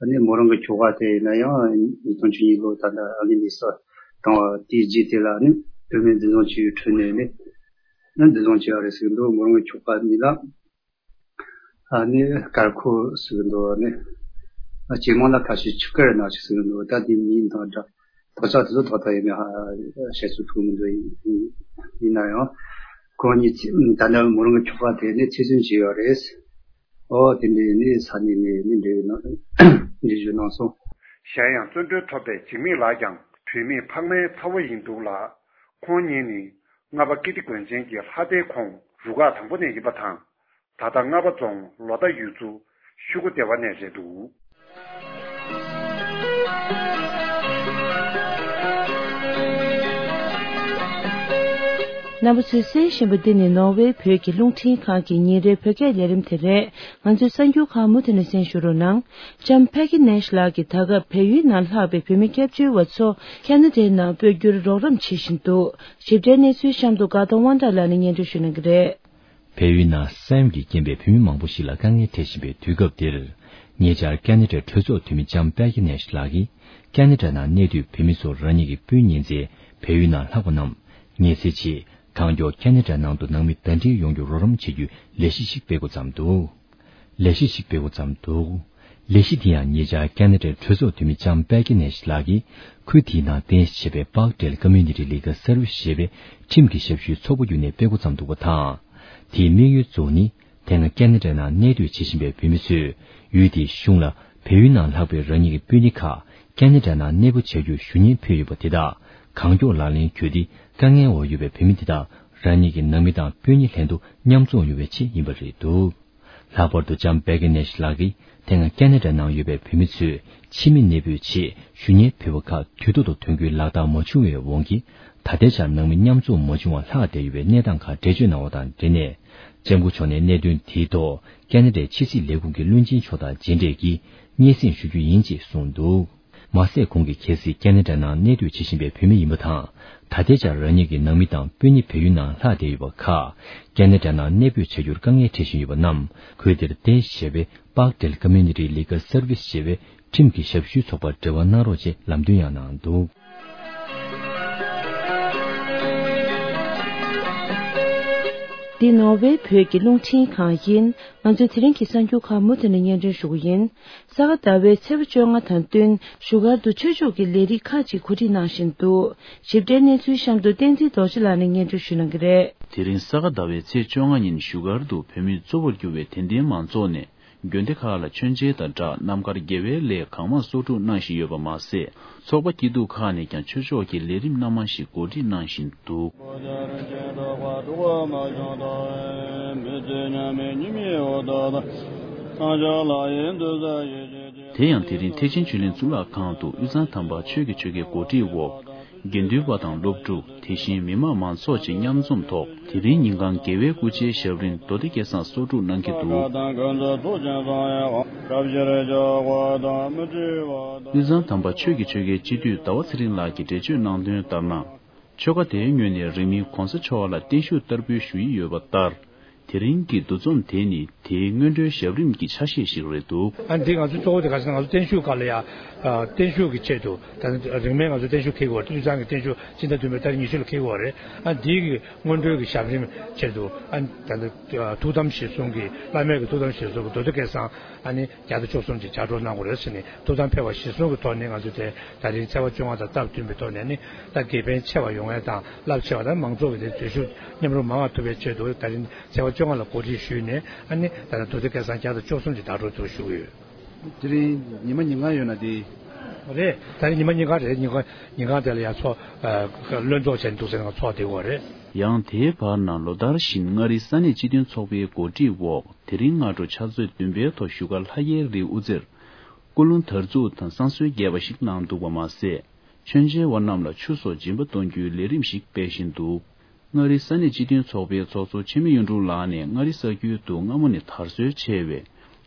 ཨ་ནི་མོ་རང་གི་ཁྱོ་ག་དེ་ཡིན་ན་ཡང་ཉིས་སྟོང་བཅུ་གཉིས་ལོ་ད་ལྟ་ཨ་མི་ལི་སི་བཏང་བ་དེའི་རྗེས་དེ་ལ་ནི་བུད་མེད་འཛིན་བཟུང་བྱས་ཡོད་ཁྲོད་ནས་ནི་ནི་འཛིན་བཟུང་བྱས་ཡོད་རེད་ཟེར་གི་འདུག་མོ་རང་གི་ཁྱོ་ག་གཉིས་ལ། ཨ་ནི་དཀར་ཁོ་ཟེར་གི་འདུག་ཨ་ནི་ཇེ་མང་ལ་ཁ་ཤས་ཆུ་དཀར་ནག་ཆུ་ཟེར་གི་འདུག་ད་དེ་མིང་དང་འདྲ་དོག་ཆ་དེ་ཚོ་ཏག་ཏག་ཡིན་ན་ཧ་བཤད་ཚུལ་ཐུག་མི་འདུག་ཡིན་ཡིན་ན་ཡང་ཁོང་གཉིས་ཚེ་ད་ནི་མོ་རང་གི་ཁྱོ་ག་དེ་ནི་ཚེ་བཙོན་བྱས་ཡོད་རེད། ཨོ་དེ་འདྲའི་ནི་ས་གནས་ནས་ནི་འབྲེལ་ཡོད་ན་འབྲེལ་ཞུ་གནང་སོང་། གཞན་ཡང་བཙོན་གྲོལ་ཐོབ་པའི་འཇིགས་མེད་ལགས་ཀྱང་བུད་མེད་འཕགས་མའི་ཚ་བོ་ཡིན་འདུག་ལ། ཁོང་གཉིས་ནི་རྔ་པ་ཀིརྟི་དགོན་ཆེན་གྱི་ལྷ་སྡེའི་ཁོངས་རུ་ཁག་དང་པོ་ནས་ཡིན་པ་དང་། ད་ལྟ་རྔ་པ་རྫོང་ལོ་ཟླ་ཡུལ་ཚོ་ཤུ་གུ་སྡེ་བ་ནས་རེད་འདུག་རྣམ་པ་ཚོས་གསན་བཞིན་པ་འདི་ནི་ནོར་ཝེ་བོད་ཀྱི་རླུང་འཕྲིན་ཁང་གི་ཉིན་རེའི་བོད་སྐད་ལས་རིམ་དེ་རེད། ང་ཚོའི་གསར་འགྱུར་ཁག་མུ་མཐུད་ནས་གསན་ཞུ་རོགས་གནང་། ལྕམ་པེ་ཀི་ནེཤ་ལགས་ཀྱིས་ད་སྐབས་བལ་ཡུལ་ནང་ལྷག་པའི་བོད་མི་སྐྱབས་བཅོལ་བ་ཚོ་ཁ་ན་ཌའི་ནང་སྤོ་རྒྱུར་རོགས་རམ་བྱེད་བཞིན་འདུག་ཞིབ་ཕྲའི་གནས་ཚུལ་གཤམ་དུ་དགའ་གདོང་དབང་གྲགས་ལགས་ནས་སྙན་སྒྲོན་ཞུ་གནང་གི་རེད། བལ་ཡུལ་ནང་ས་ཡོམ་གྱི་རྐྱེན་པས་བོད་མི་མང་པོ་ཞིག་ལ་དཀའ་ངལ་འཕྲད་བཞིན་པའི་དུས་སྐབས་འདིར། ཉེ་ཆར་ཁ་ན་ཌའི་གྲོས་ཚོགས་འཐུས་མི་ལྕམ་པེ་ཀི་ནེཤ་ལགས་ཀྱིས་ཁ་ན་ཌ་ནང་གནས་སྡོད་བོད་མི་ཚོར་རང་ཉིད་ཀྱི་སྤུན་ཉེ་ཚན་བལ་ཡུལ་ནང་ལྷག་པ་རྣམས་ངལ་སེལ་ཆེད་གང་མགྱོགས་ཁ་ན་ཌ་ནང་དུ་ནང་མི་ཟླ་སྒྲིལ་ཡོང་རྒྱུར་རོགས་རམ་བྱེད་རྒྱུའི་ལས་གཞི་ཞིག་སྤེལ་འགོ་བརྩམས་འདུག་ལས་གཞི་ཞིག་སྤེལ་འགོ་བརྩམས་འདུག་ལས་གཞི་དེ་ཡང་ཉེ་ཆར་ཁ་ན་ཌའི་གྲོས་ཚོགས་འཐུས་མི་ལྕམ་པེ་ཀི་ནེཤ་ལགས་ཀྱིས་ཁུལ་དེའི་ནང་རྟེན་གཞི་བྱས་པའི་Parkdale Community Legal Service ཞེས་པའི་ཁྲིམས་ཀྱི་ཞབས་ཞུའི་ཚོགས་པ་བརྒྱུད་ནས་སྤེལ་འགོ་བརྩམས་འདུག་པ་དང་། དེའི་དམིགས་ཡུལ་གཙོ་བོ་ནི་དེ་སྔ་ཁ་ན་ཌ་ནང་གནས་སྡོད་བྱེད་བཞིན་པའི་བོད་མི་ཚོས་ཡུལ་དེའི་གཞུང་ལ་བལ་ཡུལ་ནང་ལྷག་པའི་རང་ཉིད་ཀྱི་སྤུན་ཉེ་ཁག་ཁ་ན་ཌ་ནང་གནས་སྤོ་བྱ་རྒྱུར་ཞུ་སྙན་ཕུལ་ཡོད་པ་དེ་དག་གང་མགྱོགས་ལག་ལེན་བརྒྱུད་དེ། དཀའ་ངལ་འོག་ཡོད་པའི་བོད་མི་དེ་དག་རང་ཉིད་ཀྱི་ནང་མི་དང་སྤུན་ཉེ་ལྷན་དུ་མཉམ་འཛོམས་ཡོང་བའི་ཆེད་ཡིན་པ་རེད་འདུག་ལྷག་པར་དུ་ལྕམ་པེ་ཀི་ནེཤ་ལགས་ཀྱིས་དེ་སྔ་ཁ་ན་ཌ་ནང་ཡོད་པའི་བོད་མི་ཚོས་ཕྱི་མི་གནས་སྤོས་ཆེད་ཞུ་སྙན་ཕུལ་བ་ཁག་དུས་ཐོག་ཏུ་དོན་འཁྱོལ་ལག་བསྟར་མ་བྱུང་བའི་དབང་གིས། ད་ལྟའི་ཆར་ནང་མི་མཉམ་འཛོམས་མ་བྱུང་བར་ལྷག་བསྡད་ཡོད་པའི་གནས་སྟངས་ཁག་འགྲེལ་བརྗོད་གནང་བ་དང་འབྲེལ་ནས། ལྕམ་སྐུ་མཆོག་ནས་གནད་དོན་དེའི་ཐོག་ཁ་ན་ཌའི་ཕྱི་སྲིད་ལས་ཁུངས་ཀྱི་བློན་ཆེན་མཆོག་དང་མཇལ་འཕྲད་ཀྱིས་སྙན་སེང་ཞུ་རྒྱུ་ཡིན་ཅེས་གསུངས་འདུག་མ་ཟད། ཁོང་གིས་གལ་སྲིད་ཁ་ན་ཌ་ནང་གནས་སྡོད་བྱེད་བཞིན་པའི་བོད་མི་ཡིན་པ་དང་། ད་ལྟའི་ཆར་རང་ཉིད་ཀྱི་ནང་མི་དང་སྤུན་ཉེ་བལ་ཡུལ་ནང་ལྷག་བསྡད་ཡོད་པ་ཁག་ཁ་ན་ཌ་ནང་གནས་སྤོས་བྱ་རྒྱུར་དཀའ་ངལ་འཕྲད་བཞིན་ཡོད་པ་རྣམས། ཁུལ་དེར་རྟེན་གཞི་བྱས་པའི་Parkdale Community Legal Service ཞེས་པའི་ཁྲིམས་ཀྱི་ཞབས་ཞུའི་ཚོགས་པར་འབྲེལ་བ་གནང་རོགས་ཅེས་ལམ་སྟོན་ཡང་གནང་འདུག་འདི་ནོར་ཝེ་བོད་ཀྱི་རླུང་འཕྲིན་ཁང་ཡིན། ང་ཚོས་དེ་རིང་གི་གསར་འགྱུར་ཁག་མུ་མཐུད་ནས་སྙན་སྒྲོན་ཞུ་གི་ཡིན། ས་ག་ཟླ་བའི་ཚེས་པ་བཅོ་ལྔ་དང་བསྟུན་བཞུགས་སྒར་དུ་ཆོས་ཕྱོགས་ཀྱི་ལས་རིགས་ཁག་ཅིག་གོ་སྒྲིག་གནང་བཞིན་འདུག་ཞིབ་ཕྲའི་གནས་ཚུལ་གཤམ་དུ་བསྟན་འཛིན་རྡོ་རྗེ་ལགས་ནས་སྙན་སྒྲོན་ཞུ་གནང་གི་རེད། དེ་རིང་ས་ག་ཟླ་བའི་ཚེས་བཅོ་ལྔ་ཉིན་བཞུགས་སྒར་དུ་བོད་མི་གཙོ་བོར་གྱུར་བའི་དད་ལྡན་མང་ཚོགས་ནས་དགོན་སྡེ་ཁག་ལ་མཆོད་མཇལ་དང་སྦྲགས་རྣམ་དཀར་དགེ་བའི་ལས་གང་མང་གསོག་སྒྲུབ་གནང་བཞིན་ཡོད་པ་མ་ཟད། ཚོགས་པ་སྐྱིད་སྡུག་ཁག་ནས་ཀྱང་ཆོས་ཕྱོགས་ཀྱི་ལས་རིམ་སྣ་མང་ཞིག་གོ་སྒྲིག་གནང་བཞིན་འདུག་དེ་ཡང་དེ་རིང་ཐེག་ཆེན་ཆོས་གླིང་གཙུག་ལག་ཁང་དུ་དབུས་གཙང་དམ་པ་ཆོས་ཀྱི་ཆོལ་ཁའི་འགོ་ཁྲིད་འོག་དགེ་འདུན་པ་དང་སློབ་ཕྲུག་དེ་བཞིན་མི་མང་མང་ཚོགས་བཅས་མཉམ་འཛོམས་ཐོག་དེ་རིང་ཉིན་གང་རྒྱལ་བའི་སྐུ་ཕྱྭའི་ཞབས་རིམ་མདོ་སྡེ་སྐལ་བཟང་སོ་དྲུག་གནང་གི་འདུག་དབུས་གཙང་དམ་པ་ཆོས་ཀྱི་ཆོལ་ཁའི་སྤྱི་འཐུས་ཟླ་བ་ཚེ་རིང་ལགས་ཀྱིས་འགྲེལ་བརྗོད་གནང་དོན་ལྟར་ན། ཆོལ་ཁ་དེའི་ངོས་ནས་རིང་མིན་གོང་ས་མཆོག་ལ་བརྟན་བཞུགས་བསྟར་འབུལ་ཞུ་ཡི་ཡོད་པ་ལྟར། དེ་རིང་གི་འདུ་འཛོམས་དེ་ནི་དེའི་སྔོན་འགྲོའི་ཞབས་རིམ་གྱི་ཆ་ཤས་ཤིག་རེད་འདུག་ཨ་འདི་ང་ཚོ་གཙོ་བོ་དེ་ག་ཟེར་ན་ང་ཚོ་བརྟན་བཞུགས་སྐབས་ལ་ཡང་བརྟན་བཞུགས་ཀྱི་ཆེད་དུ་ད་རིང་མིན་ང་ཚོ་བརྟན་བཞུགས་འཁེལ་དགོས་རེད། དབུས་གཙང་གི་བརྟན་བཞུགས་སྤྱི་ཟླ་བདུན་པའི་ཏ་རིག་ཉི་ཤུ་ལ་འཁེལ་དགོས་རེད། ཨ་འདི་གི་སྔོན་འགྲོའི་གི་ཞབས་རིམ་ཆེད་དུ་ཨ་ད་ཐུགས་དམ་གཞིར་བཟུང་གི་བླ་མེད་ཀྱི་ཐུགས་དམ་གཞིར་བཟུང་གི་མདོ་སྡེ་སྐལ་བཟང་ཨ་ནི་བརྒྱ་དང་བཅུ་གསུམ་གྱི་ལྗགས་སྒྲོགས་གནང་དགོས་རེད་ཟེར་ནས་ཐུགས་དམ་ཕེབས་པ་གཞིར་བཟུང་གི་ཐོག་ནས་ང་ཚོས་དེ་ད་རིང་ཚེས་པ་བཅོ་ལྔ་དང་སྟབས་བསྟུན་པའི་ཐོག་ནས་ནི་ད་དགེ་ཕན་ཆེ་བ་ཡོང་ཡས་དང་རླབས་ཆེ་བ་དང་མང་ཚོགས་ཀྱི་དེ་འཛུལ་ཞུགས་མཉམ་རུབ་མང་བ་ཐུབ་པའི་ཆེད་དུ་ད་རིང་ཚེས་པ་བཅོ་ལྔ་ལ་གོ་སྒྲིག་ཞུས་ནས་ཨ་ནི་ད་ལྟ་མདོ་སྡེ་སྐལ་བཟང་བརྒྱ་དང་བཅུ་གསུམ་གྱི་ལྗགས་སྒྲོགས་དུ་ཞུ་གི་ཡོད། དེ་རིང་ཉི་མ་ཉིན་གང་ཡོད་ན་དེ། རེད། ད་རིང་ཉི་མ་ཉིན་གང་རེད། ཉིན་གང་ཉིན་གང་དེ་ལ་ཡང་ཚོགས་བློན་ཚོགས་བྱས་ནས་འདུག་ཟེར་ན་ཚོགས་བསྡད་ཡོད་རེད། ཡང་དེའི་བར་ན་ལོ་ལྟར་བཞིན་མངའ་རིས་ས་གནས་སྤྱི་མཐུན་ཚོགས་པའི་གོ་སྒྲིག་འོག་དེ་རིང་སྔ་དྲོ་ཕྱག་ཚོད་བདུན་པའི་ཐོག་བཞུགས་སྒར་ལྷ་རྒྱལ་རིའི་དབུ་རྩེར་སྐུ་རླུང་དར་འཛུགས་དང་བསང་གསོལ་རྒྱས་པ་ཞིག་གནང་འདུག་པ་མ་ཟད། མཆོད་མཇལ་བ་རྣམས་ལ་ཆུ་སོགས་སྦྱིན་པ་གཏོང་རྒྱུའི་ལས་རིམ་ཞིག་སྤེལ་བཞིན་འདུག་མངའ་རིས་ས་གནས་སྤྱི་མཐུན་ཚོགས་པའི་ཚོགས་གཙོ་འཆི་མེད་གཡུ་སྒྲོན་ལགས་ནས་མངའ་རིས་ས་ཁུལ་དུ་སྔ་མོ་ནས་དར་སྲོལ་ཆེ་བའི་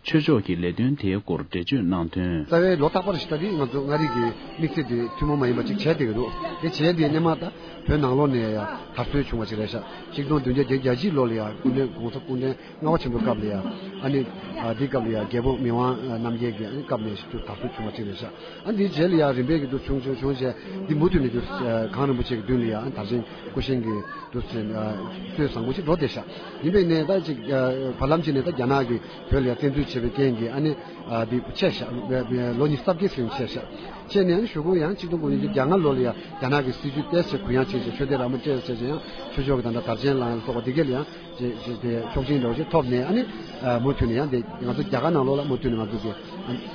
ཆོས་ཕྱོགས་ཀྱི་ལས་དོན་དེའི་སྐོར་འགྲེལ་བརྗོད་གནང་དོན། རྩ་བའི་ལོ་རྟག་པར་ཞིག་ད་རེས་ང་ཚོ་མངའ་རིས་ཀྱི་དམིགས་བསལ་དེ་ཐུན་མོང་མ་ཡིན་པ་ཅིག་བྱས་བསྡད་ཀྱི་འདུག་དེ་བྱས་དེ་སྔོན་མ་ད་བོད་ནང་ལོགས་ནས་ཡང་དར་སྲོལ་བྱུང་བ་ཅིག་རེད་ཤག་ཆིག་སྟོང་བདུན་བརྒྱ་བརྒྱད་ཅུ་གྱ་གཅིག་ལོ་ལ་ཡང་སྐུ་ཕྲེང་༸གོང་ས་སྐུ་ཕྲེང་ལྔ་པ་ཆེན་པོའི་སྐབས་ལ་ཡང་ཨ་ནི་ཨ་འདིའི་སྐབས་ལ་ཡང་རྒྱལ་པོ་མི་དབང་རྣམ་རྒྱལ་གྱི་ཨ་ནི་སྐབས་ནས་ཞིག་ཏུ་དར་སྲོལ་བྱུང་བ་ཅིག་རེད་ཤག་ཨ་འདིའི་རྗེས་ལ་ཡང་རིམ་པས་ཀྱི་འདུ་བྱུང་བྱུང་བྱུང་བྱས་འདི་མུ་མཐུད་ནས་འདུ་གངས་རིན་པོ་ཆེ་གི་མདུན་ལ་ཡང་ཨ་དར་ཆེན་སྐུ་བཞེངས་ཀྱི་འདུ་སྲོལ་བཟང་པོ་ཅིག་འགྲོ་བསྡད་ཤག་ཡིན་པས་ནས་ད་ཅིག་བར་ལམ་ཅིག་ནས་ད་རྒྱ་ནག་གིས་བོད་ལ་ཡང་བཙན་འཛུལ་བྱས་པའི་རྐྱེན་གྱིས་ཨ་ནི་འདི་ཆད་ཤག་ལོ་ཉི་ཤུ་རྩ་བརྒྱད་ཙམ་ཆད་ཤག་ཆད་ནས་ཨ་ནི་གཞུག་གུ་ཡང་ཆིག་སྟོང་དགུ་བརྒྱ་བརྒྱད་ཅུ་གྱ་ལྔ་ལོ་ལ་ཡང་རྒྱ་ནག་གི་སྲིད་ཇུས་ཏོག་ཙམ་གུ་ཡངས་བྱས་བྱས་ཆོས་དད་རང་དབང་བཅས་བྱས་བྱས་ཡང་ཆོས་ཕྱོགས་ཀྱི་ད་ལྟ་དར་ཆེན་ལ་སོགས་པ་འདི་གས་ལ་ཡང་ཅེས་ཅེས་དེ་ཆོག་མཆན་འདྲ་བོ་ཞིག་ཐོབ་ནས་ཨ་ནི་མུ་མཐུད་ནས་ཡང་དེ་ང་ཚོ་རྒྱ་གར་ནང་ལོགས་ལ་མུ་མཐུད་ནས་ང་ཚོ་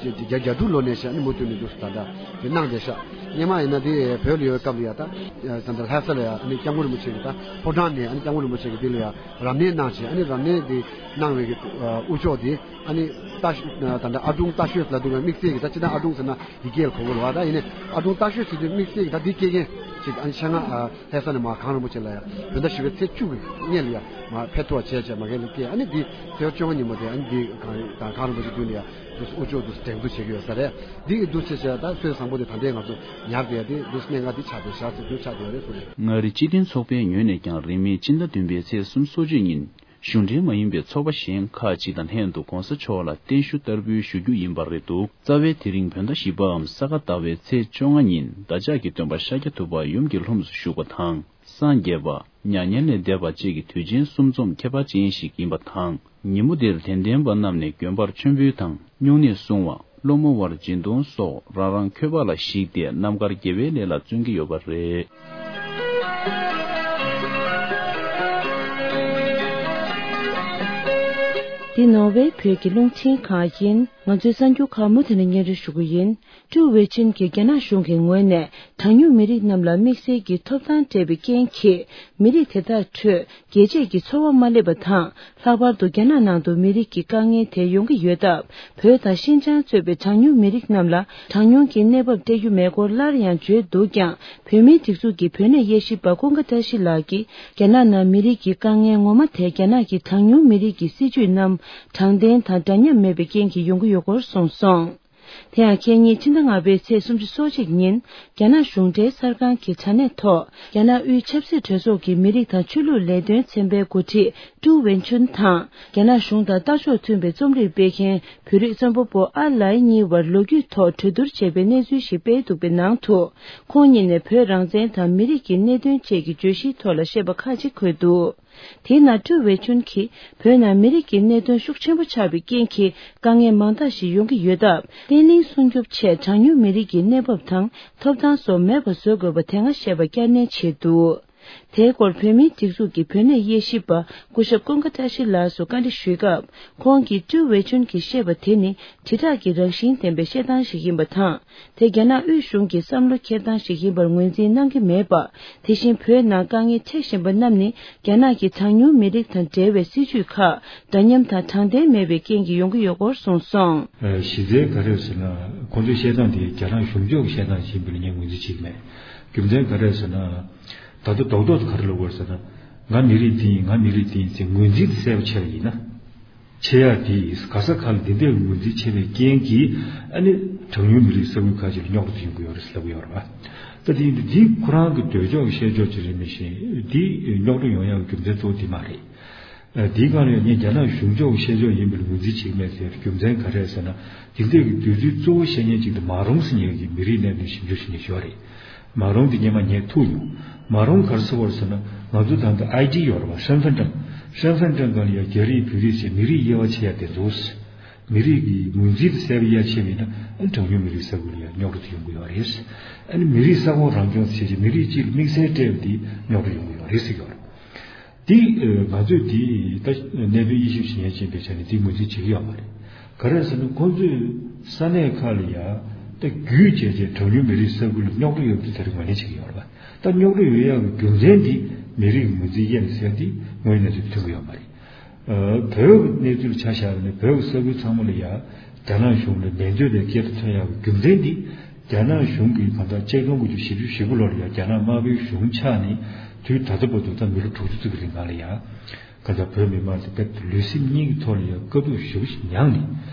གི་རྒྱ་རྒྱ་དྲུག་ལོ་ནས་བྱས་ཨ་ནི་མུ་མཐུད་ནས་འདུག་ད་ལྟ་དེ་གནང་བསྡད་ཤག་སྔོན་མ་ཡིན་ན་དེ་བོད་ལ་ཡོད་སྐབས་ལ་ཡང་ད་ད་ལྟ་ལྷ་ས་ལ་ཡང་ཨ་ནི་སྐྱབས་མགོན་རིན་པོ་ཆེ་གི་ད་ཕོ་བྲང་ནས་ཨ་ནི་སྐྱབས་མགོན་རིན་པོ་ཆེ་གི་དེ་ལ་ཡང་རབ་གནས་གནང་བྱས་ཨ་ནི་རབ་གནས་དེ་གནང་བའི་གི་དབུ་ལྕོག་དེ་ཨ་ནི་ད་ད་ལྟ་ཨ་དྲུང་རྟ་ཤོད་ལ་འདུག་པའི་དམིགས་བསལ་གི་ད་སྤྱིར་བཏང་ཨ་དྲུང་ཟེར་ན་འདི་སྐད་ལ་གོ་དགོས་རེད་བ། ད་ཡིན་ནའི་ཨ་དྲུང་རྟ་ཤོད་ཟེར་དུས་དམིགས་བསལ་གི་ད་འདི་སྐད་མཁན་ཅིག་ཨ་ནི་ཆེད་མངགས་ལྷ་ས་ནས་མར་གངས་རིན་པོ་ཆེ་ལ་ཡང་བོད་ཟླ་བཞི་པའི་ཚེས་བཅུ་གི་སྔོན་ལ་ཡང་མར་ཕེབས་ཐུབ་པ་བྱས་བྱས་མ་གན་ལ་སྐད་ཨ་ནི་འདི་ཚེས་བཅོ་ལྔ་ཉིན་མོ་དེ་ཨ་ནི་འདི་གངས་རིན་པོ་ཆེ་མདུན་ལ་ཡང་དུ་དབུ་ལྕོག་དུ་དེང་དུ་བྱེད་ཀྱི་ཡོད་ས་རེད། འདི་གི་འདུ་བྱེད་བྱས་ད་སྲོལ་བཟང་པོ་དེ་ད་ལྟའི་ང་ཚོ་ཉར་བསྡད་དེ་འདུ་གནད་འགག་འདི་ཆགས་བསྡད་ཤག་ཟེར་འདུ་ཆགས་བསྡད་རེད་ཟེར་ནས། མངའ་རིས་སྤྱི་མཐུན་ཚོགས་པའི་ངོས་ནས་ཀྱང་རིང་མིན་སྤྱི་ཟླ་བདུན་པའི་ཚེས་སུམ་ཅུ་སོ་གཅིག་ཉིན། གཞུང་འབྲེལ་མ་ཡིན་པའི་ཚོགས་པ་གཞན་ཁག་ཅིག་དང་ལྷན་དུ་༸གོང་ས་མཆོག་ལ་བརྟན་བཞུགས་བསྟར་འབུལ་ཞུ་རྒྱུ་ཡིན་པ་རེད་འདུག་རྩ་བའི་དེ་རིང་བོད་ཟླ་བཞི་པའམ་ས་ག་ཟླ་བའི་ཚེས་བཅོ་ལྔ་ཉིན་བདག་ཅག་གི་སྟོན་པ་ཤཱཀྱ་ཐུབ་པ་ཡུམ་གྱི་ལྷུམས་སུ་ཞུགས་པ་དང་། སངས་རྒྱས་པ། མྱ་ངན་ལས་འདས་པ་བཅས་ཀྱི་དུས་ཆེན་གསུམ་འཛོམས་ཁྱད་པར་ཅན་ཞིག་ཡིན་པ་དང་། ཉིན་མོ་འདིར་དད་ལྡན་པ་རྣམས་ནས་དགོན་པར་མཆོད་འབུལ་དང་སྨྱུང་གནས་སྲུང་བ། སློང་མོ་བར་སྦྱིན་གཏོང་སོགས་རང་རང་འཁོས་པ་ལ་གཞིགས་ཏེ་རྣམ་དཀར་དགེ་བའི་ལས་ལ་བརྩོན་གྱི་ཡོད་པ་རེད། འདི་ནོར་ཝེ་བོད་ཀྱི་རླུང་འཕྲིན་ཁང་ཡིན། ང་ཚོའི་གསར་འགྱུར་ཁག་མུ་མཐུད་ནས་སྙན་སྒྲོན་ཞུ་གི་ཡིན། ཀྲུའུ་ཝེ་ཆུན་གྱིས་རྒྱ་ནག་གཞུང་གི་ངོས་ནས་གྲངས་ཉུང་མི་རིགས་རྣམས་ལ་དམིགས་བསལ་གྱི་ཐོབ་ཐང་སྤྲད་པའི་རྐྱེན་གྱིས། མི་རིགས་དེ་དག་ཁྲོད་རྒྱལ་གཅེས་ཀྱི་ཚོར་བ་མ་སླེབས་པ་དང་། ལྷག་པར་དུ་རྒྱ་ནག་ནང་དུ་མི་རིགས་ཀྱི་དཀའ་ངལ་དེ་ཡོང་གི་ཡོད་སྟབས། བོད་དང་ཤིན་ཅང་གཙོས་པའི་གྲངས་ཉུང་མི་རིགས་རྣམས་ལ་གྲངས་ཉུང་གི་གནས་བབ་སྤྲད་རྒྱུ་མེད་སྐོར་སླར་ཡང་བརྗོད་འདུག་ཀྱང་། བོད་མིའི་སྒྲིག་འཛུགས་ཀྱི་བོད་གནས་དབྱེ་ཞིབ་པ་ཀུན་དགའ་བཀྲ་ཤིས་ལགས་ཀྱིས། རྒྱ་ནག་ནང་མི་རིགས་ཀྱི་དཀའ་ངལ་ངོ་མ་དེ་རྒྱ་ནག་གི་གྲངས་ཉུང་མི་རིགས་ཀྱི་སྲིད་བྱུས་རྣམས་དྲང་བདེན་དང་འདྲ་མཉམ་མེད་པའི་རྐྱེན་གྱིས་ཡོང་གི་ཡོད་སྐོར་གསུངས་སོང་། དེ་ཡང་ཁེ་ཉིན་ཕྱི་ཟླ་ལྔ་པའི་ཚེས་སུམ་ཅུ་སོ་གཅིག་ཉིན། རྒྱ་ནག་གཞུང་འབྲེལ་གསར་ཁང་གི་དྲ་གནས་ཐོག་རྒྱ་ནག་དབུས་ཆབ་སྲིད་གྲོས་ཚོགས་ཀྱི་མི་རིགས་དང་ཆོས་ལུགས་ལས་དོན་ཚན་པའི་འགོ་ཁྲིད་ཀྲུའུ་ཝེན་ཆུན་དང་། རྒྱ་ནག་གཞུང་དང་ལྟ་ཕྱོགས་མཐུན་པའི་རྩོམ་རིག་སྤེལ་མཁན་བོད་རིགས་རྩོམ་པ་པོ་ཨ་ལའི་གཉིས་བར་ལོ་རྒྱུས་ཐོག་གྲོས་བསྡུར་བྱས་པའི་གནས་ཚུལ་ཞིག་སྤེལ་འདུག་པའི་ནང་དུ། ཁོང་གཉིས་ནས་བོད་རང་བཙན་དང་མི་རིགས་ཀྱི་གནད་དོན་བཅས་ཀྱི་བརྗོད་གཞིའི་ཐོག་ལ་བཤད་པ་ཁག་ཅིག་འཁོད་འདུག་དེའི་ནང་ཀྲུའུ་ཝེ་ཆུན་གྱིས། བོད་ནང་མི་རིགས་ཀྱི་གནད་དོན་ཤུགས་ཆེན་པོ་ཆགས་པའི་རྐྱེན་གྱིས། དཀའ་ངལ་མང་དག་ཞིག་ཡོང་གི་ཡོད་སྟབས། བརྟན་ལྷིང་སྲུང་སྐྱོབ་ཆེད་གྲངས་ཉུང་མི་རིགས་ཀྱི་གནས་བབ་དང་ཐོབ་ཐང་སོགས་མེད་པ་བཟོ་དགོས་པ་དེ་སྔ་བཤད་པ་བསྐྱར་ནན་བྱས་འདུག་དེའི་སྐོར་བོད་མིའི་སྒྲིག་འཛུགས་ཀྱི་བོད་གནས་དབྱེ་ཞིབ་པ་སྐུ་ཞབས་ཀུན་དགའ་བཀྲ་ཤིས་ལགས་སུ་བཀའ་འདྲི་ཞུས་སྐབས། ཁོང་གིས་ཀྲུའུ་ཝེ་ཆུན་གྱིས་བཤད་པ་དེ་ནི་དྲིལ་བསྒྲགས་ཀྱི་རང་བཞིན་ལྡན་པའི་བཤད་སྟངས་ཤིག་ཡིན་པ་དང་། དེ་རྒྱ་ནག་དབུས་གཞུང་གི་བསམ་བློ་འཁྱེར་སྟངས་ཤིག་ཡིན་པར་ངོས་འཛིན་གནང་གི་མེད་པ། དེ་བཞིན་བོད་ནང་དཀའ་ངལ་འཕྲད་བཞིན་པ་རྣམས་ནི་རྒྱ་ནག་གི་གྲངས་ཉུང་མི་རིགས་དང་འབྲེལ་བའི་སྲིད་བྱུས་ཁག་འདྲ་མཉམ་དང་དྲང་བདེན་མེད་པའི་རྐྱེན་གྱིས་ཡོང་གི་ཡོད་སྐོར་གསུངས་སོང་། གཞི་རྩའི་ག་རེ་ཟེར་ན་ཁོང་ཚོའི་བཤད་སྟངས་དེ་རྒྱ་ནག་གཞུང་ཕྱོགས་ཀྱི་བཤད་སྟངས་ཤིག་ཡིན་པ་ལ་ངས་ངོས་འཛིན་བྱེད་ཀྱི་མེད། རྒྱུ་མཚན་ག་རེ་ཟེར་ན། ད་ལྟ་རྡོག་རྡོག་ཏུ་ག་རེ་ལབ་དགོས་ཟེར་ན། ང་མི་རིགས་འདི་ཡིན། ང་མི་རིགས་འདི་ཡིན་ཟེར་ངོས་འཛིན་དེ་གསལ་པོ་བྱས་པ་ཡིན་ན། ཆེ་ཡག་འདི་ག་ས་ག་ལ་འདི་འདྲའི་ངོས་འཛིན་བྱས་པའི་རྐྱེན་གྱིས་ཨ་ནི་གྲངས་ཉུང་མི་རིགས་ས་ཁུལ་ཁག་ཅིག་ལ་རྙོག་དྲ་ཡོང་གི་ཡོད་རེད་ཟེར་ལབ་ཀྱི་ཡོད་རེད་པ། ད་དེ་ཡིན་དུས་འདི་ཁོ་རང་གི་འདོད་ཕྱོགས་ཀྱི་བཤད་ཕྱོགས་ཅིག་རེད། མི་ཤེས་འདི་རྙོག་དྲ་ཡོང་ཡག་གི་རྒྱུ་མཚན་གཙོ་བོ་འདི་མ་རེད། འདིའི་སྒང་ལ་ཡང་ངས་རྒྱ་ནག་གཞུང་ཕྱོགས་ཀྱི་བཤད་ཕྱོགས་ཡིན་པའི་ངོས་འཛིན་བྱེད་ཀྱི་མེད་ཟེར། རྒྱུ་མཚན་ག་རེ་ཟེར་ན། དེ་འདྲའི་གི་དུས་ཚོད་གཙོ་བོ་བཤད་མཁན་གཅིག་དེ་མཱ་རོང་ཟེར་མཁན་གྱི་མི་རིགས་གནད་དོན་ཞིབ་འཇུག་བྱེད་མཁན་ཞིག་ཡོད་རེད། མཱ་རོང་དེ་སྔོན་མ་ངས་ཐུག་མྱོང་། མཱ་རོང་ག་རེ་ཟེར་བ་རེད་ཟེར་ན། ང་ཚོ་ད་ལྟ་ཨའི་ཌི་ཡོད་རེད་པ། 身份证། 身份证 སྒང་ལ་ཡང་རྒྱ་རིགས་བོད་རིགས་བྱས་མི་རིགས་དབྱེ་བ་ཕྱེ་ཡག་དེ་ཚོ། མི་རིགས་ཀྱི་ངོས་འཛིན་དེ་གསལ་པོ་ཡར་ཕྱེ་མེད་ན། ཨ་ནི་གྲངས་ཉུང་མི་རིགས་ས་ཁུལ་ལ་ཡང་རྙོག་དྲ་དེ་ཡོང་གི་ཡོད་རེད། ཨ་ནི་མི་རིགས་ས་ཁོངས་རང་སྐྱོང་བྱས་བྱས་མི་རིགས་གཅིག་ལ་དམིགས་བསལ་སྤྲད་པ་དེ་རྙོག་དྲ་ཡོང་གི་ཡོད་རེད་ཟེར་གྱི་ཡོད་རེད། དེ་ང་ཚོས་དེ་ད་གནད་དོན་དབྱེ་ཞིབ་བྱེད་མཁན་ཅིག་ཡིན་པའི་ཆ་ནས་དེ་ངོས་འཛིན་བྱེད་ཀྱི་ཡོད་མ་རེད། ག་རེ་ཟེར་ན། ཁོང་ཚོས་ས་གནས་ཁག་ལ་ཡང་ད་བརྒྱུད་བྱས་བྱས་གྲངས་ཉུང་མི་རིགས་ས་ཁུལ་ལ་རྙོག་དྲ་ཡོད་པ་དེ་དེ་རིང་ངོས་ལེན་བྱེད་ཀྱི་ཡོད་རེད་པ། ད་རྙོག་དྲ་ཡོད་ཡག་གི་རྒྱུ་མཚན་དེ་མི་རིགས་ངོས་འཛིན་དབྱེ་ནས་ཟེར་དེ་དངོས་ཡོད་གནས་ཚུལ་ཐོན་གྱི་ཡོད་མ་རེད། བོད་ཀྱི་གནས་ཚུལ་ཆ་བཞག་པ་ཡིན་ན། བོད་ཀྱི་ས་ཁུལ་ཚང་མ་ལ་ཡང་རྒྱ་ནག་གཞུང་ལ་འགྲན་རྩོད་པའི་སྐད་ཆ་ཐོན་ཡག་གི་རྒྱུ་མཚན་འདི། རྒྱ་ནག་གཞུང་གིས་གང་ལྟར་ཆིག་སྟོང་དགུ་བརྒྱ་བཞི་བཅུ་ཞེ་དགུ་ལོ་ལ་ཡང་རྒྱ་ནག་དམར་པོའི་གཞུང་ཆགས་ནས་དུས་ད་ལྟ་བར་དུ་ད་མི་ལོ་དྲུག་ཅུ་ཙམ་གྱི་རིང་ལ་ཡང་གང་ལྟར་བོད་མི་མང་དེ་དཔེ་ལུས་སེམས་གཉིས་ཀྱི་ཐོག་ལ་ཡང་དཀའ་སྡུག་ཞེ་པོ་ཞིག་མྱངས་ནས།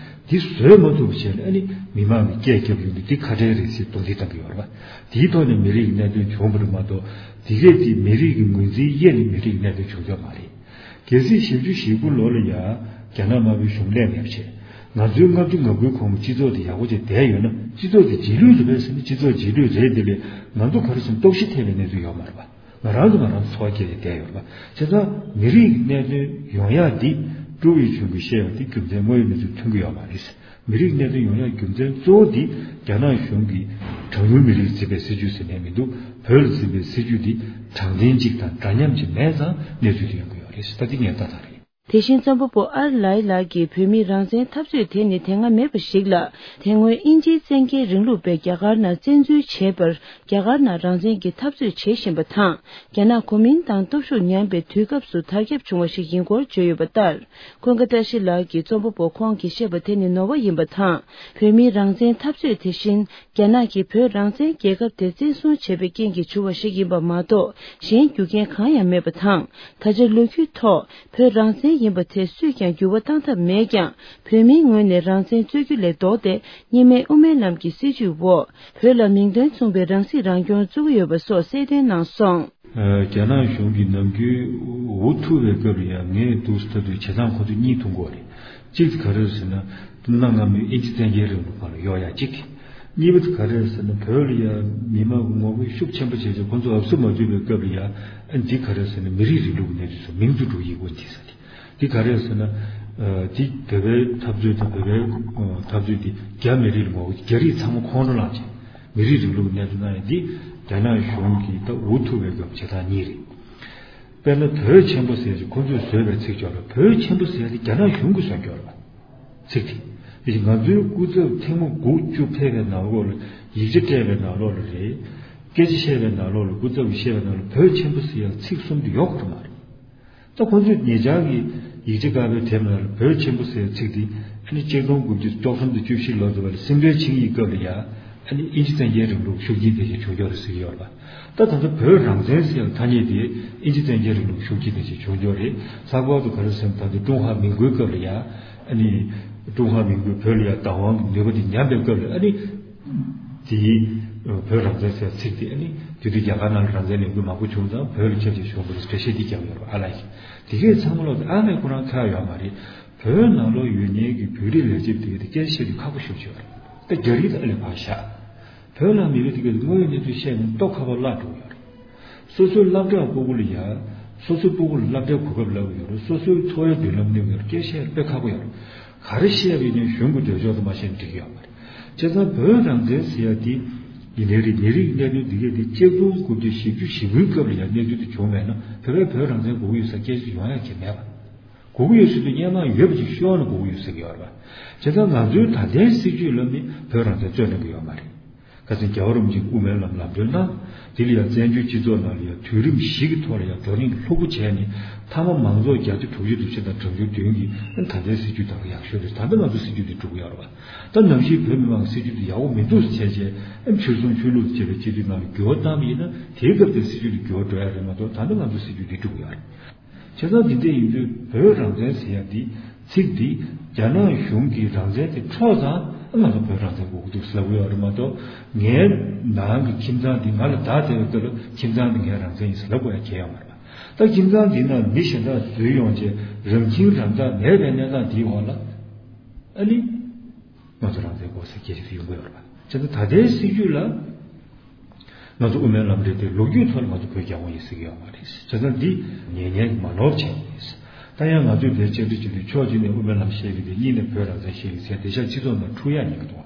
འདི་བཟོད་མ་ཐུབ་པ་བྱས་ནས། ཨ་ནི་མི་མང་གི་སྐད་རྒྱབ་ཡོང་དུས་འདི་ཁ་བྲལ་རེད་ཟེར་རྡུང་རྡེག་བཏང་གི་ཡོད་རེད་པ། དེའི་ཐོག་ནས་མི་རིགས་ཀྱི་གནད་དོན་བྱུང་བ་རེད་མ་གཏོགས། དེ་གས་དེ་མི་རིགས་ཀྱི་ངོས་འཛིན་དབྱེ་ནས་མི་རིགས་ཀྱི་གནད་དོན་བྱུང་ཡོད་མ་རེད། གལ་སྲིད་བཞི་བཅུ་ཞེ་དགུ་ལོ་ལ་ཡང་རྒྱ་ནག་དམར་པོའི་གཞུང་སླེབས་མེད་པ་བྱས། ང་ཚོའི་ལྔ་བཅུ་ང་དགུའི་གོང་གི་སྤྱི་ཚོགས་དེ་ཡག་པོ་བྱས་བསྡད་ཡོད་ན། སྤྱི་ཚོགས་དེ་རྗེས་ལུས་རེད་པས་ཟེར་ན། སྤྱི་ཚོགས་རྗེས་ལུས་རེད། དེ་ལས་ང་ཚོ་ག་རེ་ཟེར་ན། རྟོག་ཞིབ་ཐེབས་པའི་གནས་ཚུལ་ཡོད་མ་རེད་པ། ང་རང་ཚོ་ང་རང་ཚོ་འཚོ་བ་སྐྱེལ་ཏེ་བསྡད་ཡོད་རེད་པ། བྱས་ཙང་མི་རིགས་ཀྱི་གནད་དོན་ཡོང་ཡག་འདི་ཀྲུའུ་ཝེ་ཆུན་གྱིས་བཤད་པ་དེ་རྒྱུ་མཚན་དངོས་ཡོད་གནས་ཚུལ་མཐུན་གྱི་ཡོད་མ་རེད། མི་རིགས་གནད་དོན་ཡོང་ཡག་རྒྱུ་མཚན་གཙོ་བོ་འདི་རྒྱ་ནག་གཞུང་གིས་གྲངས་ཉུང་མི་རིགས་བརྩི་བའི་སྲིད་ཇུས་ཟེར་མཁན་མི་འདུག་བོད་ལ་འཛིན་པའི་སྲིད་ཇུས་འདི་དྲང་བདེན་གཅིག་དང་འདྲ་མཉམ་གཅིག་མེད་ཙང་གནས་ཚུལ་དེ་ཡོང་གི་ཡོད་རེད། ད་འདི་ངས་ལྟ་སྟངས་རེད། དེ་བཞིན་རྩོམ་པ་པོ་ཨར་ལའི་ལགས་ཀྱིས་བོད་མིའི་རང་བཙན་འཐབ་རྩོད་དེ་ནི་དེ་སྔ་མེད་པ་ཞིག་ལ། དེ་སྔོན་དབྱིན་ཇིའི་བཙན་རྒྱལ་རིང་ལུགས་པས་རྒྱ་གར་ནང་བཙན་འཛུལ་བྱས་པར། རྒྱ་གར་ནང་རང་བཙན་གྱི་འཐབ་རྩོད་བྱེད་བཞིན་པ་དང་། རྒྱ་ནག་གོ་མིན་ཏང་སྟོབས་ཤུགས་ཉམས་པའི་དུས་སྐབས་སུ་དར་ཁྱབ་བྱུང་བ་ཞིག་ཡིན་སྐོར་བརྗོད་ཡོད་པ་ལྟར། ཀུན་དགའ་བཀྲ་ཤིས་ལགས་ཀྱིས་རྩོམ་པ་པོ་ཁོང་གིས་བཤད་པ་དེ་ནི་ནོར་བ་ཡིན་པ་དང་། བོད་མིའི་རང་བཙན་འཐབ་རྩོད་དེ་བཞིན། རྒྱ་ནག་གིས་བོད་རང་བཙན་རྒྱལ་ཁབ་དེ་བཙན་བཟུང་བྱས་པའི་རྐྱེན་གྱིས་བྱུང་བ་ཞིག་ཡིན་པ་མ་གཏོགས། གཞན་རྒྱུ་རྐྱེན་གང་ཡང་མེད་པ་དང་། ད་ཆ་ལོ་རྒྱུས་ཐོག་བོད་རང་བཙན་ཡིན་པ་དེ་སུས་ཀྱང་འགྱུར་བ་བཏང་ཐབས་མེད་ཀྱང་། བོད་མིའི་ངོས་ནས་རང་བཙན་རྩོད་རྒྱུ་ལས་ལྡོག་སྟེ། གཉིས་སྨན་དབུ་མའི་ལམ་གྱི་སྲིད་བྱུས་འོག་བོད་ལ་མིང་དོན་མཚུངས་པའི་རང་སྲིད་རང་སྐྱོང་བཙུགས་ཀྱི་ཡོད་པ་སོགས་གསལ་སྟོན་གནང་སོང་། ཨ། རྒྱ་ནག་གཞུང་གིས་ནམ་རྒྱུན་འུ་ཐུག་པའི་སྐབས་ལ་ཡང་ངས་འདུག་སེ་ལྟ་དུས་བྱེད་སྟངས་ཁོ་ཚོས་གཉིས་མཐོང་གི་ཡོད་རེད། གཅིག་དེ་ག་རེ་རེད་ཟེར་ན། གནའ་སྔ་མོའི་དབྱིན་ཇི་བཙན་རྒྱལ་རིང་ལུགས་སྒང་ལ་གཡོལ་ཡག་གཅིག་གཉིས་པ་དེ་ག་རེ་རེད་ཟེར་ན། བོད་ལ་ཡང་མི་མང་གི་ངོ་རྒོལ་ཤུགས་ཆེན་པོ་བྱས་བྱས་ཁོ་ཚོ་ཨབ་སུ་མ་ཐུབ་པའི་སྐབས་ལ་ཡང་། ཨ། འདི་ག་རེ་རེད་ཟེར་ན། མི་རིགས་རིང་ལུགས་ཀྱི་གནས་ཚུལ་སོགས་མིང་དུ་འགྲོ་ཡི་གོ་འདི་ཟེར་ཏེ། འདི་ག་རེ་རེད་ཟེར་ན། ཨ། འདི་བོད་པའི་འཐབ་རྩོད་དང་། བོད་པའི་འཐབ་རྩོད་འདི་རྒྱ་མི་རིགས་ལ་ངོ་རྒོལ། རྒྱ་རིགས་ཚང་མ་ཁོང་ཁྲོ་ལངས་བྱས་མི་རིགས་རིང་ལུགས་ཀྱི་གནས་ཚུལ་གནང་ཡག་འདི་རྒྱ་ནག་གཞུང་གིས་ད་འུ་ཐུག་པའི་སྐབས་བྱེད་སྟངས་གཉིས་རེད། དཔེར་ན་བོད་ཆེན་པོ་ཟེར་ཅིག་ཁོ་ཚོས་བཟོས་པའི་ཚིག་ཅིག་ཡོད་རེད། བོད་ཆེན་པོ་ཟེར་ཡག་དེ་རྒྱ་ནག་གཞུང་གིས་བཟོས་ཡོད་རེད། ཚིག་དེ། དེ་བཞིན་ང་ཚོའི་སྐུ་ཚབ་ཐེངས་མ་དགུ་བཅུ་ཕེབས་པའི་ནང་ལོགས་ལ། ཡིག་ཆ་སྤྲད་པའི་ནང་ལོགས་ལ་རེད། སྐད་ཆ་བཤད་པའི་ནང་ལོགས་ལ། སྐུ་ཚབ་ཀྱིས་བཤད་པའི་ནང་ལ་བོད་ཆེན་པོ་ཟེར་ཡག་ཚིག་གསུམ་དེ་ཡོད་ཁོ་ཐག་མ་རེད། ད་ཁོ་ཚོས་ཉེ་ཆར་གྱི་ཡིག་ཆ་ཁ་པར་དེབ་ནང་ལ་བོད་ཆེན་པོ་ཟེར་ཚིག་དེ། ཨ་ནི་ཆིག་སྟོང་དགུ་བརྒྱ་བཅུ་གསུམ་དང་བཅུ་བཞི་ལོ་ཙམ་བར་ལ་སྲིད་དོན་ཆིངས་ཡིག་སྐབས་ལ་ཡང་། ཨ་ནི་དབྱིན་ཇི་བཙན་རྒྱལ་རིང་ལུགས་ཤུགས་རྐྱེན་དེ་བཞིན་བྱུང་ཡོད་རེད་ཟེར་གྱི་ཡོད་རེད་པ། ད་ད་ལྟ་བོད་རང་བཙན་ཟེར་ཡག་ཐ་སྙད་དེ་དབྱིན་ཇི་བཙན་རྒྱལ་རིང་ལུགས་ཤུགས་རྐྱེན་དེ་བཞིན་བྱུང་ཡོད་རེད། ལྷག་པར་དུ་ག་རེ་ཟེར་ན། ད་ལྟ་ཀྲུང་ཧྭ་མིན་གོའི་སྐབས་ལ་ཡང་། ཨ་ནི་ཀྲུང་ཧྭ་མིན་གོས་བོད་ལ་ཡང་བདག་དབང་གི་ནུས་པ་དེ་ཉམས་པའི་སྐབས་ལ། ཨ་ནི། དེའི་བོད་རང་བཙན་ཟེར་ཚིག་དེ། ཨ་ནི་དེ་དུས་རྒྱ་གར་ནང་ལ་རང་བཙན་ལས་འགུལ་མང་པོ་བྱུང་ཙང་། བོད་ལ་ཁྱབ་ཆེ་བྱུང་བ་རེད་ཟེར་འགྲེལ་བཤད་འདི་བརྒྱབ་ཡོད་རེད། ཨ་ལགས་ཀྱིས་དེ་གས་ཚང་མ་ལོག་སྟེ་ཨ་མས་ཁོ་རང་ཁ་ཡོད་མ་རེད། བོད་ནང་ལོགས་ཡོད་མཁན་གྱི་བོད་རིགས་ལས་བྱེད་དེ་གས་དེ་སྐད་ཆ་བཤད་དུས་ཁག་པོ་ཞེ་པོ་ཅིག་ཡོད་རེད། ད་རྒྱ་རིགས་དང་ཨ་ལས་ཕར་བཞག་བོད་ནང་མི་རིགས་དེ་གས་དེ་དངོས་ཡོད་གནས་ཚུལ་བཤད་ན་ལྟོ་ཁ་པོ་བརླག་འགྲོ་གི་ཡོད་རེད། སོ་སོའི་སློབ་གྲྭ་ཕྲུ་གུ་ལ་ཡ། སོ་སོའི་ཕྲུ་གུ་ལ་སློབ་གྲྭའི་གོ་སྐབས་ལབ་ཀྱི་ཡོད་རེད། སོ་སོའི་འཚོ་བའི་མདུན་ལམ་གནོད་ཀྱི་ཡོད་རེད། སྐད་ཆ་དཔེ་ཁག་པོ་ཡོད་རེད། ག་རེ་བཤད་པ་ཡིན་ནའི་གཞུང་གི་འདོད་ཕྱོགས་དང་མ་བཤད་ན་འགྲིག་གི་ཡོད་མ་རེད། བྱས་ཙང་བོད་རང་བཙན་ཟེར་ཡ་འདི་ཡིན་ནའི་རེད། མི་རིགས་གནད་དོན་འདི་གས་འདི་ཆིག་སྟོང་དགུ་བརྒྱ་བཞི་བཅུ་ཞེ་དགུའི་སྐབས་ལ་ཡང་གནས་ཚུལ་དེ་བྱུང་མེད་ན། བོད་པས་བོད་རང་བཙན་དགོས་ཀྱི་ཡོད་ཟེར་སྐད་ཆ་ཡོང་ཡ་གང་ཡང་མེད་པ། དགོས་ཀྱི་ཡོད་ཟེར་དུས་སྔོན་མ་ཡོད་པ་ཅིག་ཤོར་ན་དགོས་ཀྱི་ཡོད་ཟེར་གྱི་ཡོད་རེད་པ། བྱས་ཙང་ང་ཚོའི་ད་ལྟའི་སྲིད་བྱུས་ལབ་ནི་བོད་རང་བཙན་རྩོད་གནང་གི་ཡོད་མ་རེད། ཁ་སང་རྒྱལ་བ་རིན་པོ་ཆེས་དབུ་མའི་ལམ་ལམ་སྟོན་གནང་། དེ་ལ་ཡང་བཙན་བྱོལ་སྤྱི་ཚོགས་ནང་ལ་ཡང་དུས་རིམ་བཞི་གི་ཐོག་ལ་ཡང་བགྲོ་གླེང་ལྷུག་པོ་བྱས་ནས་མཐའ་མ་མང་ཚོགས་བརྒྱད་ཅུ་དྲུག་ཅུ་དུ་ཕྱིན་དང་གྲངས་ཆུང་བདུན་གྱིས་ད་ལྟའི་སྲིད་བྱུས་དང་ཡག་ཤོས་རེད། ད་ལྟ་ང་ཚོ་སྲིད་བྱུས་དེ་འགྲོ་གི་ཡོད་རེད་པ། ད་ནམ་ཞིག་བོད་མི་མང་གི་སྲིད་བྱུས་དེ་ཡག་པོ་མི་འདུག་ཟེར་བྱས་བྱས་ཨ་ཕྱིར་ཚོང་ཆོས་ལུགས་བཅས་པའི་སྤྱི་འཐུས་ནང་ལ་འགྱུར་བ་བཏང་བ་ཡིན་ན་དེའི་སྐབས་དེ་སྲིད་བྱུས་དེ་འགྱུར་བ་འགྲོ་ཡ་རེད་མ་གཏོགས་ད་ལྟ་ང་ཚོ་སྲིད་བྱུས་དེ་འགྲོ་གི་ཡོད་རེད། བྱས་ཙང་འདི་འདྲ་ཡིན་དུས་བོད་རང་བཙན་ཟེར་ཡ་འདི་ཚིག་འདི་རྒྱ་ནག་གཞུང་གི་རང་བཙན་དེ་འཕྲོག་ཙང་ང་ཚོ་བོད་རང་བཙན་དགོས་ཀྱི་འདུག་ཟེར་ལབ་ཀྱི་ཡོད་རེད་མ་གཏོགས་ངའི་ནང་གི་ཁྱིམ་ཚང་འདི་ང་ལ་བདག་སྟེར་བའི་སྐབས་ལ་ཁྱིམ་ཚང་འདི་ངའི་རང་བཙན་ཡིན་ཟེར་ལབ་དགོས་ཡ་གང་ཡང་མ་རེད་པ། ད་ཁྱིམ་ཚང་འདི་ནང་མི་གཞན་དག་འཛུལ་ཡོང་བྱས་རང་ཁྱིམ་རང་བདག་མེད་པའི་གནས་སྟངས་འདིའི་འོག་ལ་ཨ་ནི། ང་ཚོ་རང་བཙན་དགོས་ཟེར་སྐད་ཆ་དེ་ཡོང་གི་ཡོད་རེད་པ། བྱས་ཙང་ད་ལྟའི་སྲིད་བྱུས་ལ་ང་ཚོ་དབུ་མའི་ལམ་རེད་དེ་ལོ་རྒྱུས་ཐོག་ལ་ང་ཚོ་བོད་རྒྱལ་ཁོངས་ཡིན་ཟེར་གྱི་ཡོད་མ་རེད། བྱས་ཙང་འདི་ཉན་ཉན་གྱི་མ་ནོར་བྱས་ནས། ད་ཡང་ང་ཚོས་དེར་བཅར་འདྲི་བྱེད་དུས་ཕྱོགས་གཅིག་ནས་དབུ་མའི་ལམ་བཤད་ཀྱི་འདུག་གཉིས་ནས་བོད་རང་བཙན་བཤད་ཀྱི་ཟེར་དེ་ཤ་སྤྱི་ཚོགས་ནང་འཁྲུག་ཡག་ཉན་གྱི་འདུག་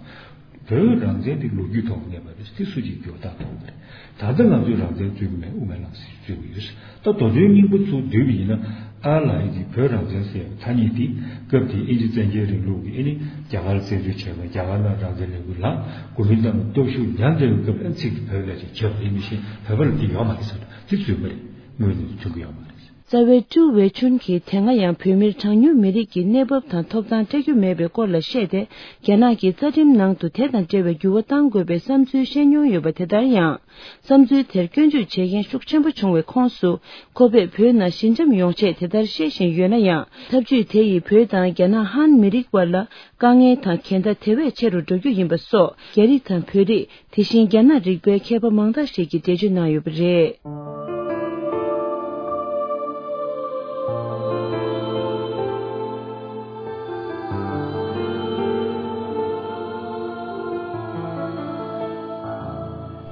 བོད་རང་བཙན་དེ་ལོ་རྒྱུས་ཐོག་གནས་པ་རེད། དེ་སུ་གཅིག་འགྱུར་བ་བཏང་ཐུབ་མ་རེད། ད་ལྟ་ང་ཚོས་རང་བཙན་རྩོད་ཀྱི་མེད། དབུ་མའི་ལམ་ཟེར་རྩོད་ཀྱི་ཡོད། ད་མདོ་དོན་སྙིང་པོ་ཚུར་བསྡུས་པ་ཡིན་ན་ཨ་ལགས་ཀྱིས་བོད་རང་བཙན་ཟེར་བའི་ཐ་སྙད་འདི་སྐབས་དེའི་དབྱིན་ཇི་བཙན་རྒྱལ་རིང་ལུགས་ཀྱིས་ཨ་ནི་རྒྱ་གར་བཙན་འཛུལ་བྱས་པ་རྒྱ་གར་ནང་རང་བཙན་ལས་འགུལ་ལངས་གོ་མིན་ཏང་ལ་སྟོབས་ཤུགས་ཉམས་བསྡད་པའི་སྐབས་ཨ་ནི་ཚིག་འདི་བོད་ལ་ཅིག་བརྒྱབ་རེད། མི་ཤེས་བོད་པ་ལ་འདི་ཡོད་མ་རེད་ཟེར། འདི་རྩོད་མ་རེད། དངོས་གནས་ཐོན་གྱི་ཡོད་མ་རེད། རྩ་བའི་ཀྲུའུ་ཝེ་ཆུན་གྱིས་དེ་སྔ་ཡང་བོད་མིར་གྲངས་ཉུང་མི་རིགས་ཀྱི་གནས་བབ་དང་ཐོབ་ཐང་སྤྲད་རྒྱུ་མེད་པའི་སྐོར་ལ་བཤད་དེ། རྒྱ་ནག་གི་རྩ་ཁྲིམས་ནང་དུ་དེ་དང་འབྲེལ་བའི་འགྱུར་བ་གཏང་དགོས་པའི་བསམ་ཚུལ་བཤད་མྱོང་ཡོད་པ་དེ་ལྟར་ཡང་། བསམ་ཚུལ་དེར་སྐྱོན་བརྗོད་བྱེད་མཁན་ཤུགས་ཆེན་པོ་བྱུང་བའི་ཁོངས་སུ། ཁོ་པས་བོད་ནང་ཞི་འཇམ་ཡོང་ཆེད་དེ་ལྟར་བཤད་བཞིན་ཡོད་ན་ཡང་། ཐབས་ཇུས་དེ་ཡིས་བོད་དང་རྒྱ་ནག་ཧན་མི་རིགས་བར་ལ་དཀའ་ངལ་དང་འགལ་ཟླ་དེ་བས་ཆེ་རུ་འགྲོ་རྒྱུ་ཡིན་པ་སོགས། རྒྱ་རིགས་དང་བོད་རིགས། དེ་བཞིན་རྒྱ་ནག་རིག་པའི་མཁས་པ་མང་དག་ཞིག་གིས་འགྲེལ་བརྗོད་གནང་ཡོད་པ་རེད།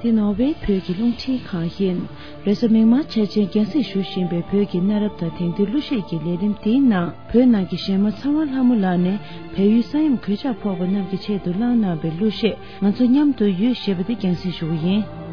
འདི་ནོར་ཝེ་བོད་ཀྱི་རླུང་འཕྲིན་ཁང་ཡིན། རེས་གཟའ་མིག་དམར་འཆར་ཅན་རྒྱང་སྲིང་ཞུ་བཞིན་པའི་བོད་ཀྱི་གནའ་རབས་དང་དེང་དུས་གླུ་གཞས་ཀྱི་ལས་རིམ་འདིའི་ནང་། བོད་ནང་གི་གཞས་མ་ཚེ་དབང་ལྷ་མོ་ལགས་ནས་བལ་ཡུལ་ས་ཡོམ་གོད་ཆག་ཕོག་པ་རྣམས་ཀྱི་ཆེད་དུ་བླངས་གནང་བའི་གླུ་གཞས། ང་ཚོ་མཉམ་དུ་ཡོད་ཞེས་པ་འདི་རྒྱང་སྲིང་ཞུ་གི་ཡིན།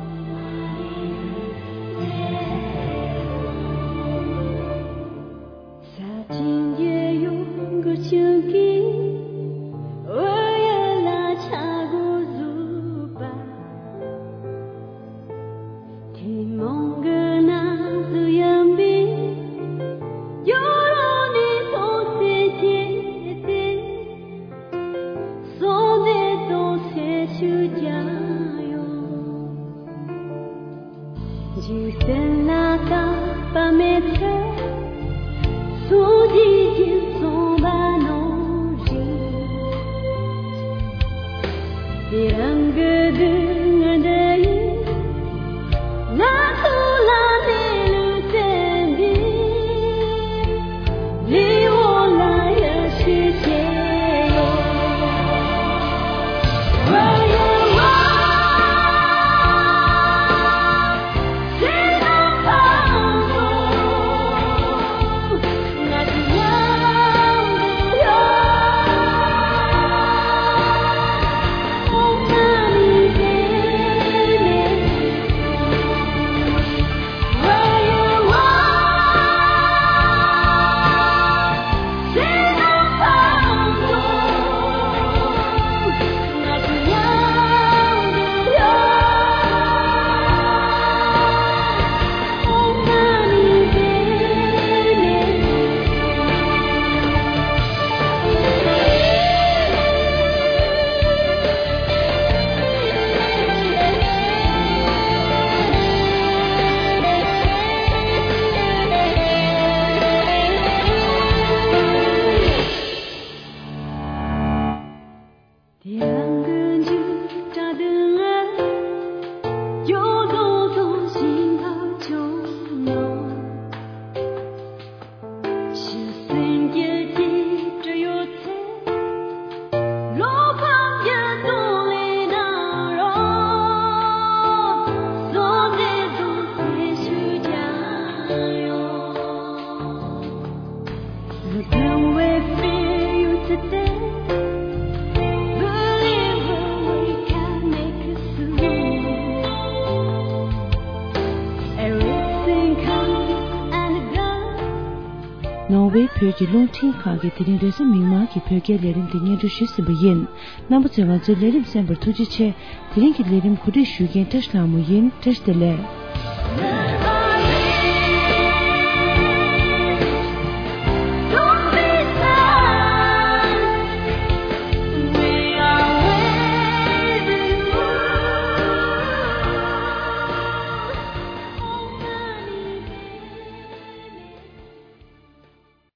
བའི་བོད་ཀྱི་རླུང་འཕྲིན་ཁང་གིས་དེ་རིང་རེས་གཟའ་མིག་དམར་གྱི་བོད་སྐད་ལས་རིམ་དེ་སྙན་སྒྲོན་ཞུས་ཟིན་པ་ཡིན། རྣམ་པ་ཚོས་ང་ཚོའི་ལས་རིམ་གསན་པར་ཐུགས་རྗེ་ཆེ། དེ་རིང་གི་ལས་རིམ་གོ་སྒྲིག་ཞུ་མཁན་བཀྲ་ཤིས་ལྷ་མོ་ཡིན། བཀྲ་ཤིས་བདེ་ལེགས།